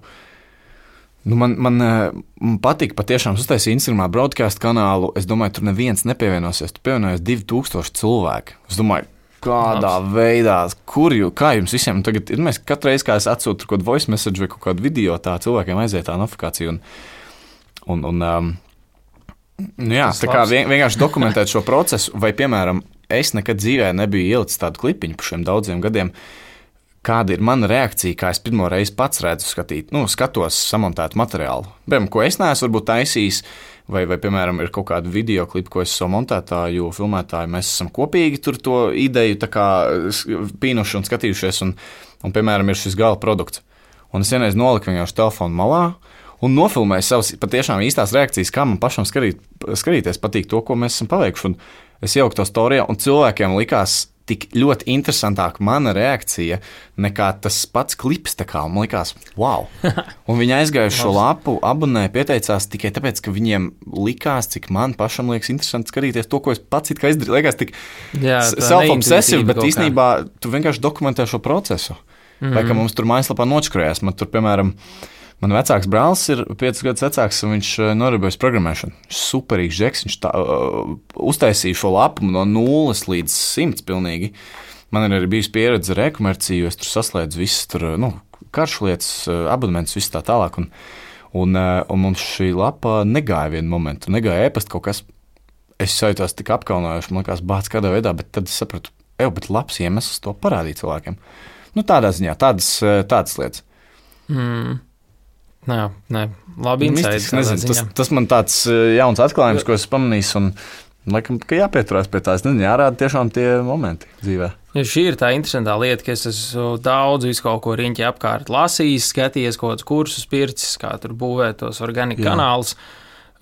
Nu, man, man, man patīk patiešām uztaisīt Instagramā broadcast kanālu. Es domāju, tur neviens nepievienosies. Tu pievienojies divi tūkstoši cilvēku. Es domāju, kādā Labs. veidā, kur jū, kā jums visiem tagad ir. Mēs katru reizi, kā es atsūtu kaut kādu voice message vai kaut kādu video, tā cilvēkiem aiziet tā notifikācija. Un, un, un, um, nu jā, tā kā vien, vienkārši dokumentēt šo procesu. Vai, piemēram, es nekad dzīvē nebiju ielicis tādu klipiņu par šiem daudziem gadiem. Kāda ir mana reakcija, kā es pirmo reizi pats redzu skatīt, nu, skatos samontētu materiālu. Piemēram, ko es neesmu varbūt taisījis, vai, vai, piemēram, ir kaut kāda video klipa, ko es savu montētāju, filmētāju, mēs esam kopīgi tur to ideju tā kā pīnuši un skatījušies, un, un, piemēram, ir šis gala produkts. Un es vienreiz noliku vienkārši telefonu malā un nofilmēju savas patiešām īstās reakcijas, kā man pašam skatīt, skatīties patīk to, ko mēs esam paveikuši. Un es ieliku to storijā, un cilvēkiem likās tik ļoti interesantāka mana reakcija nekā tas pats klips. Tā man likās, wow. Un viņi aizgāja šo lapu, abonēja, pieteicās tikai tāpēc, ka viņiem likās, cik man pašam liekas interesanti skatīties to, ko es pats it kā izdarīju. Liekas tik self-obsessive, bet īstenībā tu vienkārši dokumentē šo procesu. Mm-hmm. Vai kā mums tur mājaslapā nočakrējās. Man tur, piemēram, man vecāks brālis ir piecus gadus vecāks, un viņš nodarbojas programmēšanu. Viņš ir superīgs žeks, viņš tā, uh, uztaisīja šo lapu no nulles līdz simts pilnīgi. Man ir arī bijusi pieredze ar e-komerciju, es tur saslēdzu visas tur, nu, karšlietas, abonementus, viss tā tālāk. Un, un, un mums šī lapa negāja vienu momentu, negāja ēpast kaut kas. Es sajūtos tik apkaunojuši, man liekas, bāc kādā veidā, bet tad es sapratu, ev, bet labs iemesls to parādīt cilvēkiem. Nu, tādā ziņā, tādas, tādas lietas. Mm. Nē, nē, labi insights. Tas, tas man tāds jauns atklājums, ko es pamanīju, un laikam, ka jāpieturās pie tā. Es nezinu, jārāda tiešām tie momenti dzīvē. Ja šī ir tā interesantā lieta, ka es esmu daudz visu kaut ko riņķi apkārt lasījis, skatījies kaut kādus kursus pircis, kā tur būvēt tos organiku kanālus.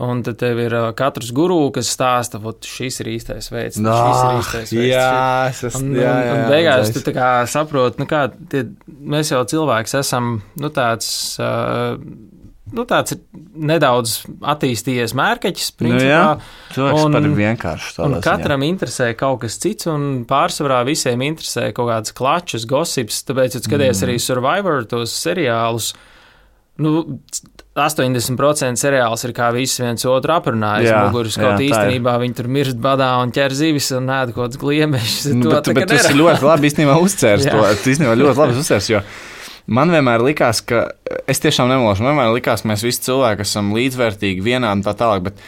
Un tad tev ir katrs guru, kas stāsta, ka šis ir īstais veids, no, šis ir īstais veids. Jā, es esmu. Un, un, un beigās tu tā kā saproti, nu kā, tie, mēs jau cilvēks esam, nu tāds, uh, nu tāds nedaudz attīstījies mērkeķis, principā. Nu jā, cilvēks par vienkārši tādā ziņā. Un katram interesē kaut kas cits, un pārsvarā visiem interesē kaut kāds klačus, gossips, tāpēc, ja skaties mm. arī Survivor, tos seriālus, nu, astoņdesmit procenti seriāls ir kā viss viens otru aprunājis. Muguris kaut īstenībā viņi tur mirst badā un ķer zivis un ēd kaut kāds gliemešs. Nu, bet bet tu esi ļoti labi īstenībā uzcērs to. Tu īstenībā ļoti labi uzcērs, jo man vienmēr likās, ka es tiešām nemološu, man vienmēr likās, ka mēs visi cilvēki esam līdzvērtīgi, vienādi un tā tālāk, bet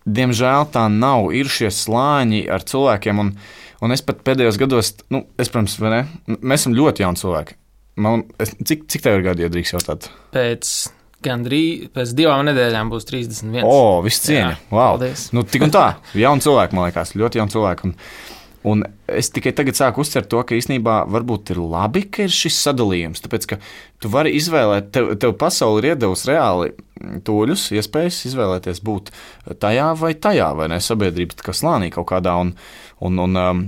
diemžēl tā nav. Ir šie slāņi ar cilvēkiem, un, un es pat pēdējos gados, nu, es, protams, vai ne, mēs esam ļoti jauni cilvēki. Man, es, cik, cik tev ir gadi, ja drīkst jautāt? Pēc gandrīz, pēc divām nedēļām būs trīsdesmit viens. O, viss cieņa. Wow. Paldies. Nu, tik un tā, jauni cilvēki, man liekas, ļoti jauni cilvēki. Un, Un es tikai tagad sāku uztvert to, ka īstenībā varbūt ir labi, ka ir šis sadalījums. Tāpēc, ka tu vari izvēlēt, tev, tev pasauli ir iedevusi reāli tūļus, iespējas izvēlēties būt tajā vai tajā, vai ne, sabiedrības kā slānī kaut kādā, un, un, un um,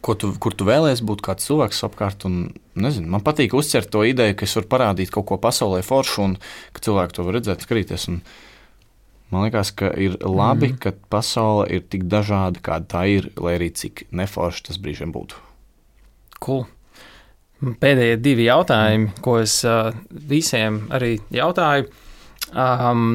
ko tu, kur tu vēlies būt kāds cilvēks apkārt, un nezinu, man patīk uztvert to ideju, ka es varu parādīt kaut ko pasaulē foršu, un ka cilvēki to var redzēt, skatīties, un man liekas, ka ir labi, mm. ka pasaule ir tik dažāda, kāda tā ir, lai arī cik neforši tas brīžiem būtu. Cool. Pēdējie divi jautājumi, ko es uh, visiem arī jautāju. Um,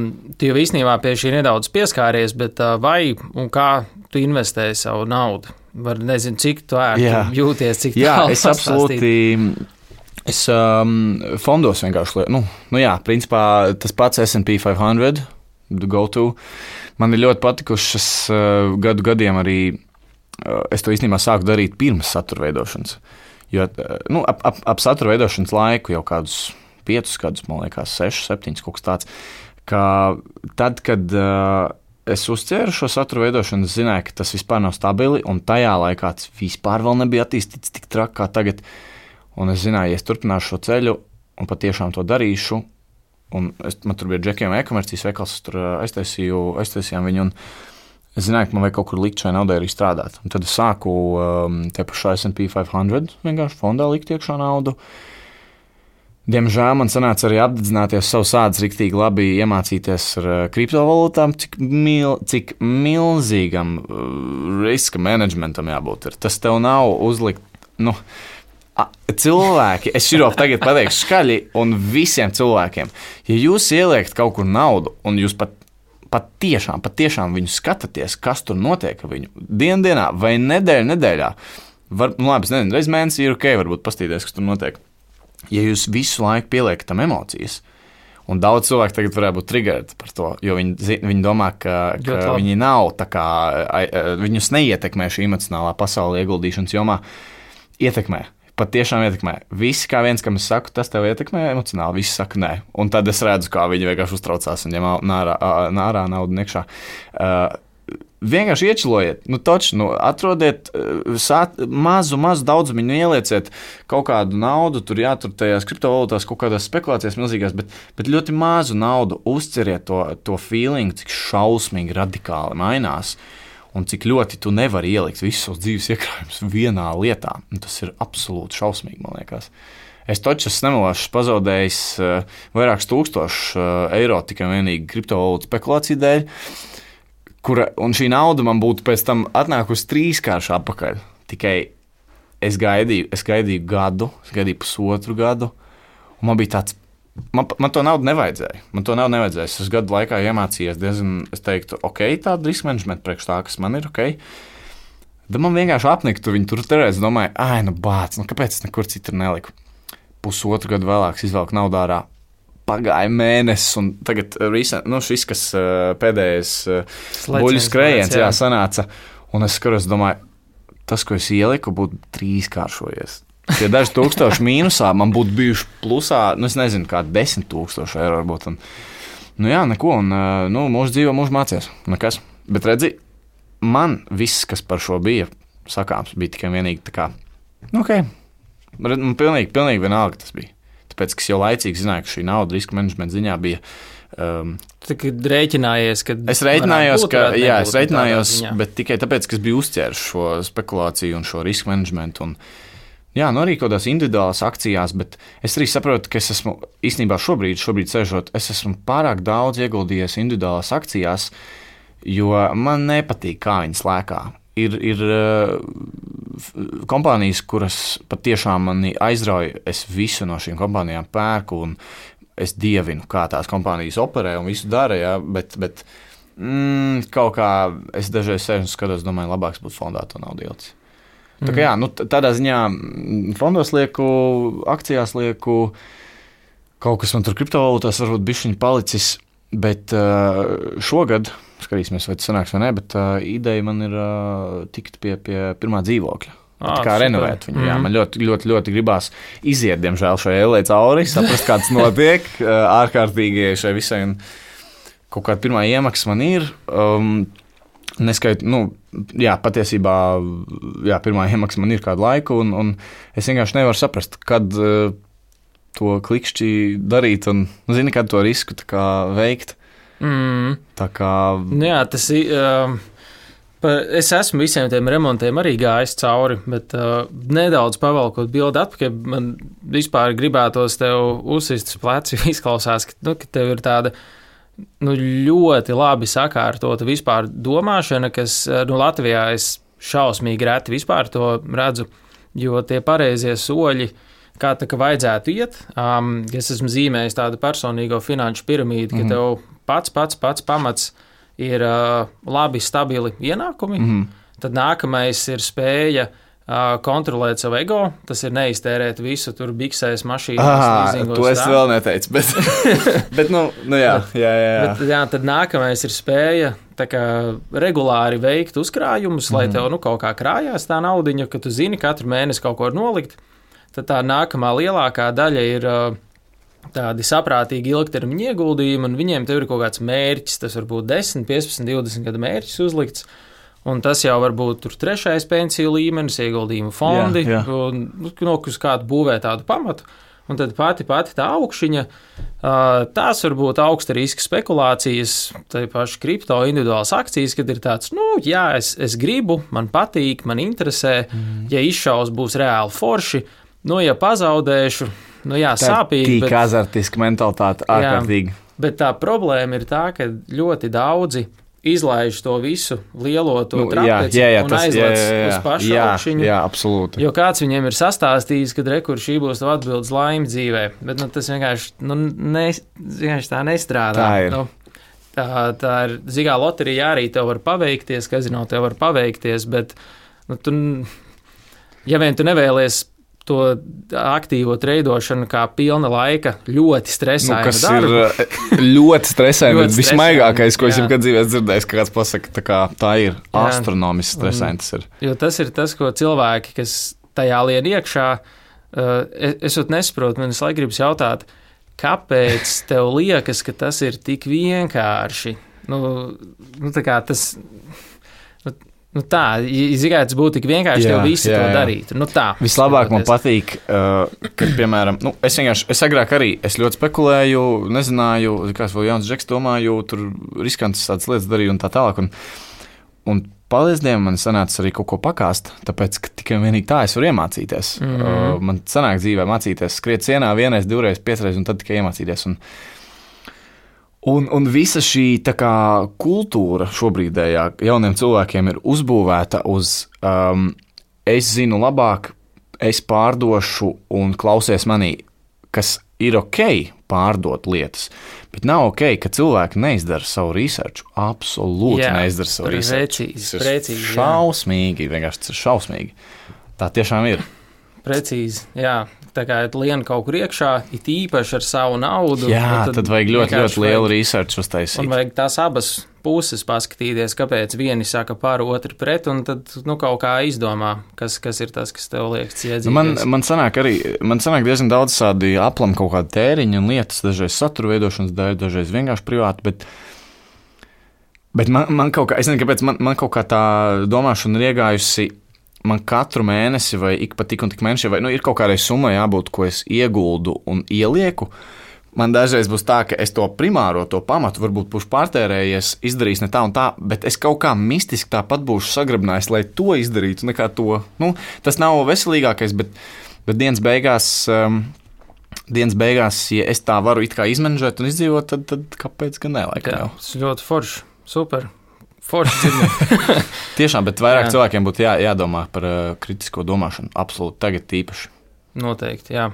tu jau īstenībā pie šī nedaudz pieskāries, bet uh, vai un kā tu investēji savu naudu? Var nezinu, cik tu ērti jūties, cik jā, tālu es absolūti, es um, fondos vienkārši, nu, nu jā, principā tas pats S and P five hundred, go-to. Man ir ļoti patikušas uh, gadu gadiem arī, uh, es to īstenībā sāku darīt pirms satura veidošanas. Jo, uh, nu, ap, ap, ap satura veidošanas laiku jau kādus piecus gadus, man liekas, sešus, septiņus, kaut kas tāds, ka tad, kad uh, es uzcēru šo satura veidošanu, zināju, ka tas vispār nav stabili, un tajā laikā tas vispār vēl nebija attīstīts tik traki kā tagad. Un es zināju, ja es turpināšu šo ceļu un patiešām to darīšu, un es, man tur bija Džekiem e-komercijas veikals, es tur aiztaisīju, aiztaisījām viņu, un es zināju, ka man vajag kaut kur likt šai naudai arī strādāt. Un tad es sāku um, te pašā S and P five hundred vienkārši fondā likt iekšā naudu. Diemžēl man sanāca arī apdedzināties savu sādas riktīgi labi iemācīties ar uh, kriptovalūtām, cik, mil, cik milzīgam uh, riska managementam jābūt. Ir. Tas tev nav uzlikt, nu, cilvēki, es širo tagad pateikšu skaļi, un visiem cilvēkiem, ja jūs ieliekat kaut kur naudu, un jūs pat, pat tiešām, pat tiešām viņu skatāties, kas tur notiek ar viņu, dienu dienā vai nedēļu nedēļā, var, nu labi, es nezinu, reiz mēnesī ir ok, varbūt pastīties, kas tur notiek. Ja jūs visu laiku pieliekat tam emocijas, un daudz cilvēku tagad varētu būt triggerēti par to, jo viņi, viņi domā, ka, ka viņi nav tā kā, viņus neietekmē šī emocionālā pasaule ieguldīšanas jomā, ietekmē. Pat tiešām ietekmē. Visi, kā viens, kam es saku, tas tev ietekmē emocionāli, visi saka nē. Un tad es redzu, kā viņi vienkārši uztraucās un ņem nārā, nārā naudu niekšā. Uh, vienkārši iečilojiet, nu taču, nu atrodiet sāt, mazu, mazu daudzumiņu, ielieciet kaut kādu naudu, tur jātur tajās kriptovalūtās kaut kādās spekulācijās milzīgās, bet, bet ļoti mazu naudu, uzceriet to, to feeling, cik šausmīgi radikāli mainās. Un cik ļoti tu nevari ielikt visus savus dzīves iekrājumus vienā lietā. Un tas ir absolūti šausmīgi, man liekas. Es taču esmu nemelāšu pazaudējis uh, vairākus tūkstošus uh, eiro tikai vienīgi kriptovalūtu spekulāciju dēļ, kura, un šī nauda man būtu pēc tam atnākusi trīskārši atpakaļ. Tikai es gaidīju, es gaidīju gadu, es gaidīju pusotru gadu, un man bija tāds, Man, man to naudu nevajadzēja. Man to naudu nevajadzēja. Es gadu laikā iemācījies diezgan, es teiktu, ok, tāda riska menedžmenta priekš tā, kas man ir ok. Tad man vienkārši apniktu viņu tur terēs, domāju, ai, nu bāc, nu kāpēc es nekur citur neliku? Pusotru gadu vēlāk izvelku naudu ārā. Pagāja mēnesis, un tagad recent, nu, šis, kas pēdējais buļu skrējiens, jā, sanāca, un es skaros, domāju, tas, ko es ieliku, būtu trīskāršojies. Ja daži tūkstoši mīnusā, man būtu bijuši plusā, nu es nezinu, kā desmit tūkstoši eiro varbūt. Un, nu jā, neko, un nu, mūsu dzīvo, mūsu mācies, nekas. Bet redzi, man viss, kas par šo bija sakāms, bija tikai vienīgi tā kā, nu ok, man pilnīgi, pilnīgi vienalga tas bija. Tāpēc, ka es jau laicīgi zināju, ka šī nauda riska menedžmenta ziņā bija. Um, Tā kā rēķinājies, ka es rēķinājos, būt, ka, jā, es rēķinājos, bet tikai tāpēc, ka es biju uzķēris šo spekulāciju un šo riska menedžmentu un jā, nu arī kaut kādās individuālās akcijās, bet es arī saprotu, ka es esmu īstenībā šobrīd, šobrīd sēžot, es esmu pārāk daudz ieguldījies individuālās akcijās, jo man nepatīk, kā viņas lēkā. Ir, ir uh, kompānijas, kuras patiešām mani aizrauja, es visu no šīm kompānijām pērku un es dievinu, kā tās kompānijas operē un visu dara, jā, bet, bet mm, kaut kā es dažreiz sēžu un skatos, domāju, labāks būtu fondā to naudu ielicis. Tā kā jā, nu, tādā ziņā fondos lieku, akcijās lieku, kaut kas man tur kriptovalūtās varbūt bišķiņ palicis, bet uh, šogad, skatīsimies, vai tas sanāks vai ne, bet uh, ideja man ir uh, tikt pie, pie pirmā dzīvokļa. À, kā super. Renovēt viņu, jā, mm. man ļoti, ļoti, ļoti gribās iziet, diemžēl, šai ellē cauri, saprast, kāds notiek, uh, ārkārtīgi šai visai, un kaut kāda pirmā iemaksa man ir, um, neskait, nu, jā, patiesībā jā, pirmā iemaksa man ir kādu laiku, un, un es vienkārši nevaru saprast, kad uh, to klikšķi darīt un, nu, zini, kad to risku tā kā veikt. Mm. Tā kā... Jā, tas ir... Uh... Es esmu visiem tiem remontiem arī gājis cauri, bet uh, nedaudz pavalkot bildi atpakaļ, man vispār gribētos tev uzsist uz pleci, izklausās, ka, nu, ka tev ir tāda nu, ļoti labi sakārtota vispār domāšana, kas nu, Latvijā es šausmīgi reti vispār to redzu, jo tie pareizie soļi, kā tā kā vajadzētu iet, um, es esmu zīmējis tādu personīgo finanšu piramīdu, ka mm. tev pats, pats, pats pamats ir uh, labi, stabili ienākumi, mm. tad nākamais ir spēja uh, kontrolēt savu ego, tas ir neiztērēt visu, tur biksēs, mašīnas, līzingos. To es tā. Vēl neteicu, bet, bet nu, nu jā, bet, jā, jā. Bet, jā, tad nākamais ir spēja tā kā regulāri veikt uzkrājumus, mm. lai tev nu, kaut kā krājās tā naudiņa, ka tu zini, katru mēnesi kaut ko nolikt, tad tā nākamā lielākā daļa ir... Uh, tādi saprātīgi ilgtermiņa ieguldījumi, un viņiem tev ir kaut kāds mērķis, tas var būt desmit, piecpadsmit, divdesmit gadu mērķis uzlikts, un tas jau var būt tur trešais pensiju līmenis, ieguldījumu fondi, jā, jā. Un no uz kādu būvē tādu pamatu, un tad pati, pati tā augšiņa, tās var būt augsta riska spekulācijas, tā paši kripto, individuālas akcijas, kad ir tāds, nu, jā, es, es gribu, man patīk, man interesē, mm. ja izšaus būs reāli forši, nu, ja pazaudēšu, nu jā, tā sāpīgi. Tā ir azartiska mentalitāte, ārkārtīgi. Bet tā problēma ir tā, ka ļoti daudzi izlaiž to visu lielo to nu, trapeci jā, jā, jā, un aizlec uz pašu jā, augšiņu. Jā, absolūti. Jo kāds viņiem ir sastāstījis, ka rekur šī būs tev atbildes laime dzīvē. Bet nu, tas vienkārši, nu, ne, vienkārši tā nestrādā. Tā ir. Nu, tā, tā ir zigā loterija arī tev var paveikties, kazino tev var paveikties, bet nu, tu, ja vien tu nevēlies to aktīvo treidošanu kā pilna laika ļoti stresaina nu, kas darba. Ir ļoti stresaina, bet vismaigākais, ko es jebkad dzīvē dzirdējis, ka kāds pasaka, tā, kā, tā ir jā. Astronomiski stresaina tas ir. Jo tas ir tas, ko cilvēki, kas tajā lien iekšā, uh, es, es pat nesaprotu, man es laikam gribas jautāt, kāpēc tev liekas, ka tas ir tik vienkārši? Nu, nu tā kā tas... Nu tā, ja tas būtu tik vienkārši, tev visi jā, jā. To darītu. Nu tā. Vislabāk man patīk, uh, kad, piemēram, nu, es vienkārši, es agrāk arī, es ļoti spekulēju, nezināju, kāds vēl jauns džeks domāju, tur riskantas tādas lietas darīju un tā tālāk. Un, un paldies Dievam, man sanāca arī kaut ko pakāst, tāpēc, ka tikai vienīgi tā es varu iemācīties. Mm-hmm. Uh, man sanāk dzīvē mācīties skriet sienā vienreiz, divreiz, piecreiz un tad tikai iemācīties. Un, Un, un visa šī tā kā kultūra šobrīdējā jauniem cilvēkiem ir uzbūvēta uz um, es zinu labāk, es pārdošu un klausies manī, kas ir ok pārdot lietas, bet nav ok, ka cilvēki neizdara savu researchu, absolūti jā, neizdara savu researchu. Precīzi, precīzi. Šausmīgi, vienkārši tas ir šausmīgi. Tā tiešām ir. Precīzi, jā. Tā kā lien kaut kur iekšā, it īpaši ar savu naudu. Jā, tad, tad vajag ļoti, ļoti lielu research uztaisīt. Un vajag tās abas puses paskatīties, kāpēc vieni saka par, otri pret, un tad nu, kaut kā izdomā, kas, kas ir tas, kas tev liekas iedzīties. Nu, man, man sanāk arī, man sanāk diezgan daudz tādi aplam kaut kādi tēriņi un lietas, dažreiz satura veidošanas dēļ, dažreiz vienkārši privāti, bet, bet man, man kaut kā, es nezinu, kāpēc man, man kaut kā tā domāšana ir iegājusi. Man katru mēnesi vai ik pa tik un tik mēneši, vai nu, ir kaut kādai summai jābūt, ko es ieguldu un ielieku. Man dažreiz būs tā, ka es to primāro, to pamatu varbūt būšu pārtērējies, izdarījis ne tā un tā, bet es kaut kā mistiski tāpat būšu sagrabinājis, lai to izdarītu, nekā to. Nu, tas nav veselīgākais, bet, bet dienas beigās, um, dienas beigās, ja es tā varu it kā izmenedžēt un izdzīvot, tad, tad kāpēc gan ne? Jā, tas ir ļoti forši, super. Forši tiešām, bet vairāk jā. Cilvēkiem būtu jā, jādomā par uh, kritisko domāšanu. Absolūti, tagad īpaši. Noteikti, jā.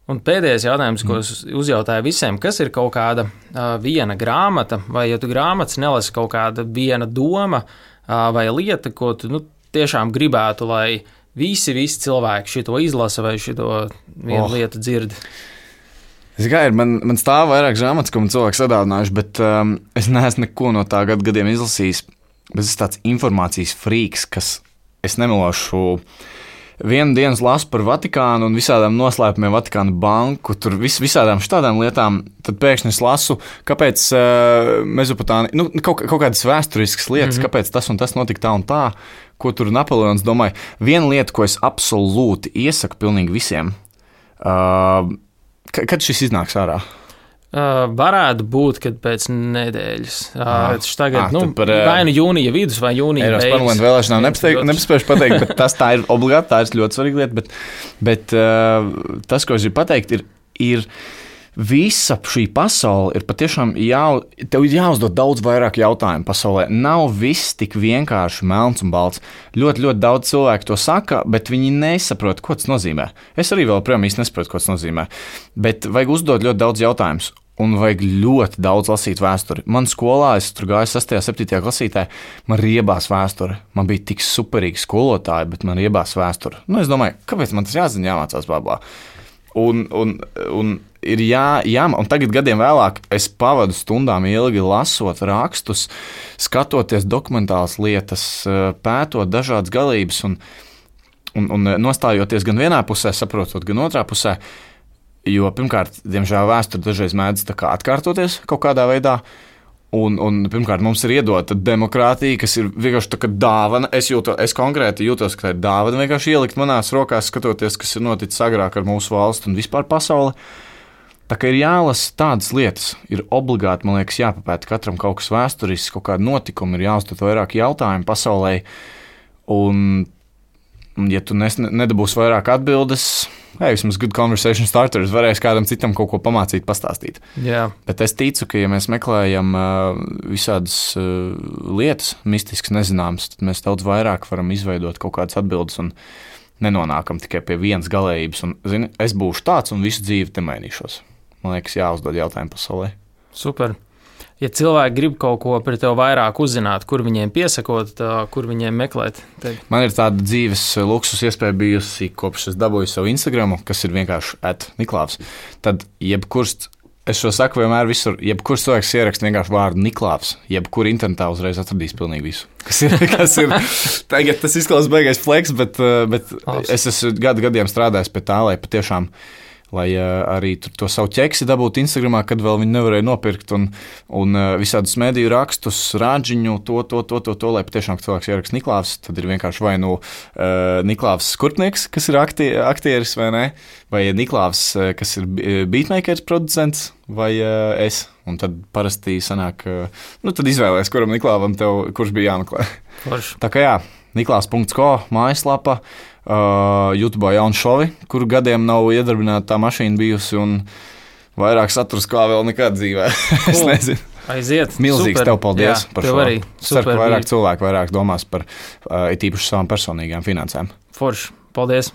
Un pēdējais jautājums, ko es uzjautāju visiem, kas ir kaut kāda uh, viena grāmata, vai ja tu grāmatas nelasi kaut kāda viena doma uh, vai lieta, ko tu nu, tiešām gribētu, lai visi, visi cilvēki šito izlasa vai šito vienu oh. lietu dzird? Gairu, man, man stāv vairāk grāmatas, ko man cilvēki sadāvinājuši, bet um, es neesmu neko no tā gadu gadiem izlasījis. Bet es esmu tāds informācijas frīks, kas, es nemelošu, vienu dienu lasu par Vatikānu un visādām noslēpumiem Vatikāna banku, tur vis, visādām šādām lietām, tad pēkšņi es lasu, kāpēc uh, Mezopotāmija, nu, kaut, kaut kādas vēsturiskas lietas, mm-hmm. kāpēc tas un tas notika tā un tā, ko tur Napoleons domāja. Viena lieta, ko es absolūti iesaku pilnīgi visiem, uh, kad šis iznāks ārā? Uh, varētu būt, kad pēc nedēļas. Uh, tagad, ah, nu, par, vai nu jūnija vidus, vai jūnija Eiropas beigas. parlamenta vēlēšanām nepaspējuši pateikt, bet tas tā ir obligāti, tā ir ļoti svarīga lieta. Bet, bet uh, tas, ko es gribu pateikt, ir, ir visa šī pasaule ir patiešām jā, tev ir jāuzdod daudz vairāk jautājumu pasaulē. Nav viss tik vienkārši melns un balts. Ļoti, ļoti daudz cilvēku to saka, bet viņi nesaprot, ko tas nozīmē. Es arī vēl projām īsti nesaprotu, ko tas nozīmē. Bet vajag uzdot ļoti daudz jautājumus. Un vajag ļoti daudz lasīt vēsturi. Man skolā, es tur gāju sastajā, septītajā klasītē, man riebās vēsture. Man bija tik superīgi skolotāji, bet man riebās vēsture. Nu, es domāju, kāpēc man tas jāzina, jāmācās bābā? Un, un, un ir jā, jā, un tagad gadiem vēlāk es pavadu stundām ilgi lasot rakstus, skatoties dokumentālas lietas, pētot dažādas galības un, un, un nostājoties gan vienā pusē, saprotot, gan otrā pusē. Jo, pirmkārt, diemžēl vēsture dažreiz mēdz tā kā atkārtoties kaut kādā veidā. Un, un pirmkārt, mums ir iedota demokrātija, kas ir vienkārši tā kā dāvana. Es, jūto, es konkrēti jūtos, ka tā ir dāvana vienkārši ielikt manās rokās, skatoties, kas ir noticis agrāk ar mūsu valstu un vispār pasauli. Tā kā ir jālasa tādas lietas, ir obligāti, man liekas, jāpapēta katram kaut kas vēsturisks, kaut kāda notikuma, ir jāuzdod vairāk jautājumu pasaulē. Un, un ja tu nes, nedabūsi vairāk atbildes, hei, vismaz good conversation starters, varēs kādam citam kaut ko pamācīt, pastāstīt. Jā. Bet es ticu, ka, ja mēs meklējam uh, visādas uh, lietas, mistiskas, nezināmas, tad mēs daudz vairāk varam izveidot kaut kādas atbildes un nenonākam tikai pie vienas galējības. Un, zini, es būšu tāds un visu dzīvi te mainīšos. Man liekas, jāuzdod jautājumu pasaulē. Super. Ja cilvēki grib kaut ko par tevi vairāk uzzināt, kur viņiem piesakot, kur viņiem meklēt? Tevi? Man ir tāda dzīves luksus iespēja bijusi, kopš es dabūju savu Instagramu, kas ir vienkārši at Niklāvs. Tad jebkurš, es šo saku vienmēr visur, jebkurš cilvēks ieraksta vienkārši vārdu Niklāvs, jebkur internetā uzreiz atradīs pilnīgi visu. Kas ir, kas ir tagad tas izklausās beigais fleks, bet, bet es esmu gadu gadiem strādājis pie tā, lai patiešām lai uh, arī to savu ķeksi dabūtu Instagramā, kad vēl viņi nevarēja nopirkt, un, un uh, visādus mediju rakstus, rāģiņu, to, to, to, to, to, lai patiešām cilvēks ieraksta Niklāvs, tad ir vienkārši vai nu uh, Niklāvs Skurpnieks, kas ir aktie, aktieris, vai ne, vai Niklāvs, uh, kas ir beatmakers, producents, vai uh, es. Un tad parasti sanāk, uh, nu tad izvēlēs, kuram Niklāvam tev, kurš bija jāmeklē. Forši. Tā kā jā, niklāvs punkts ko, mājaslapa, Uh, YouTube jaunu šovi, kuru gadiem nav iedarbināta tā mašīna bijusi, un vairāk saturs kā vēl nekad dzīvē. Es nezinu. Aiziet. Milzīgs super. Tev paldies Jā, par tev šo. Arī. Ceru, ka vairāk bija. cilvēku vairāk domās par uh, it īpaši savām personīgām finansēm. Forši. Paldies.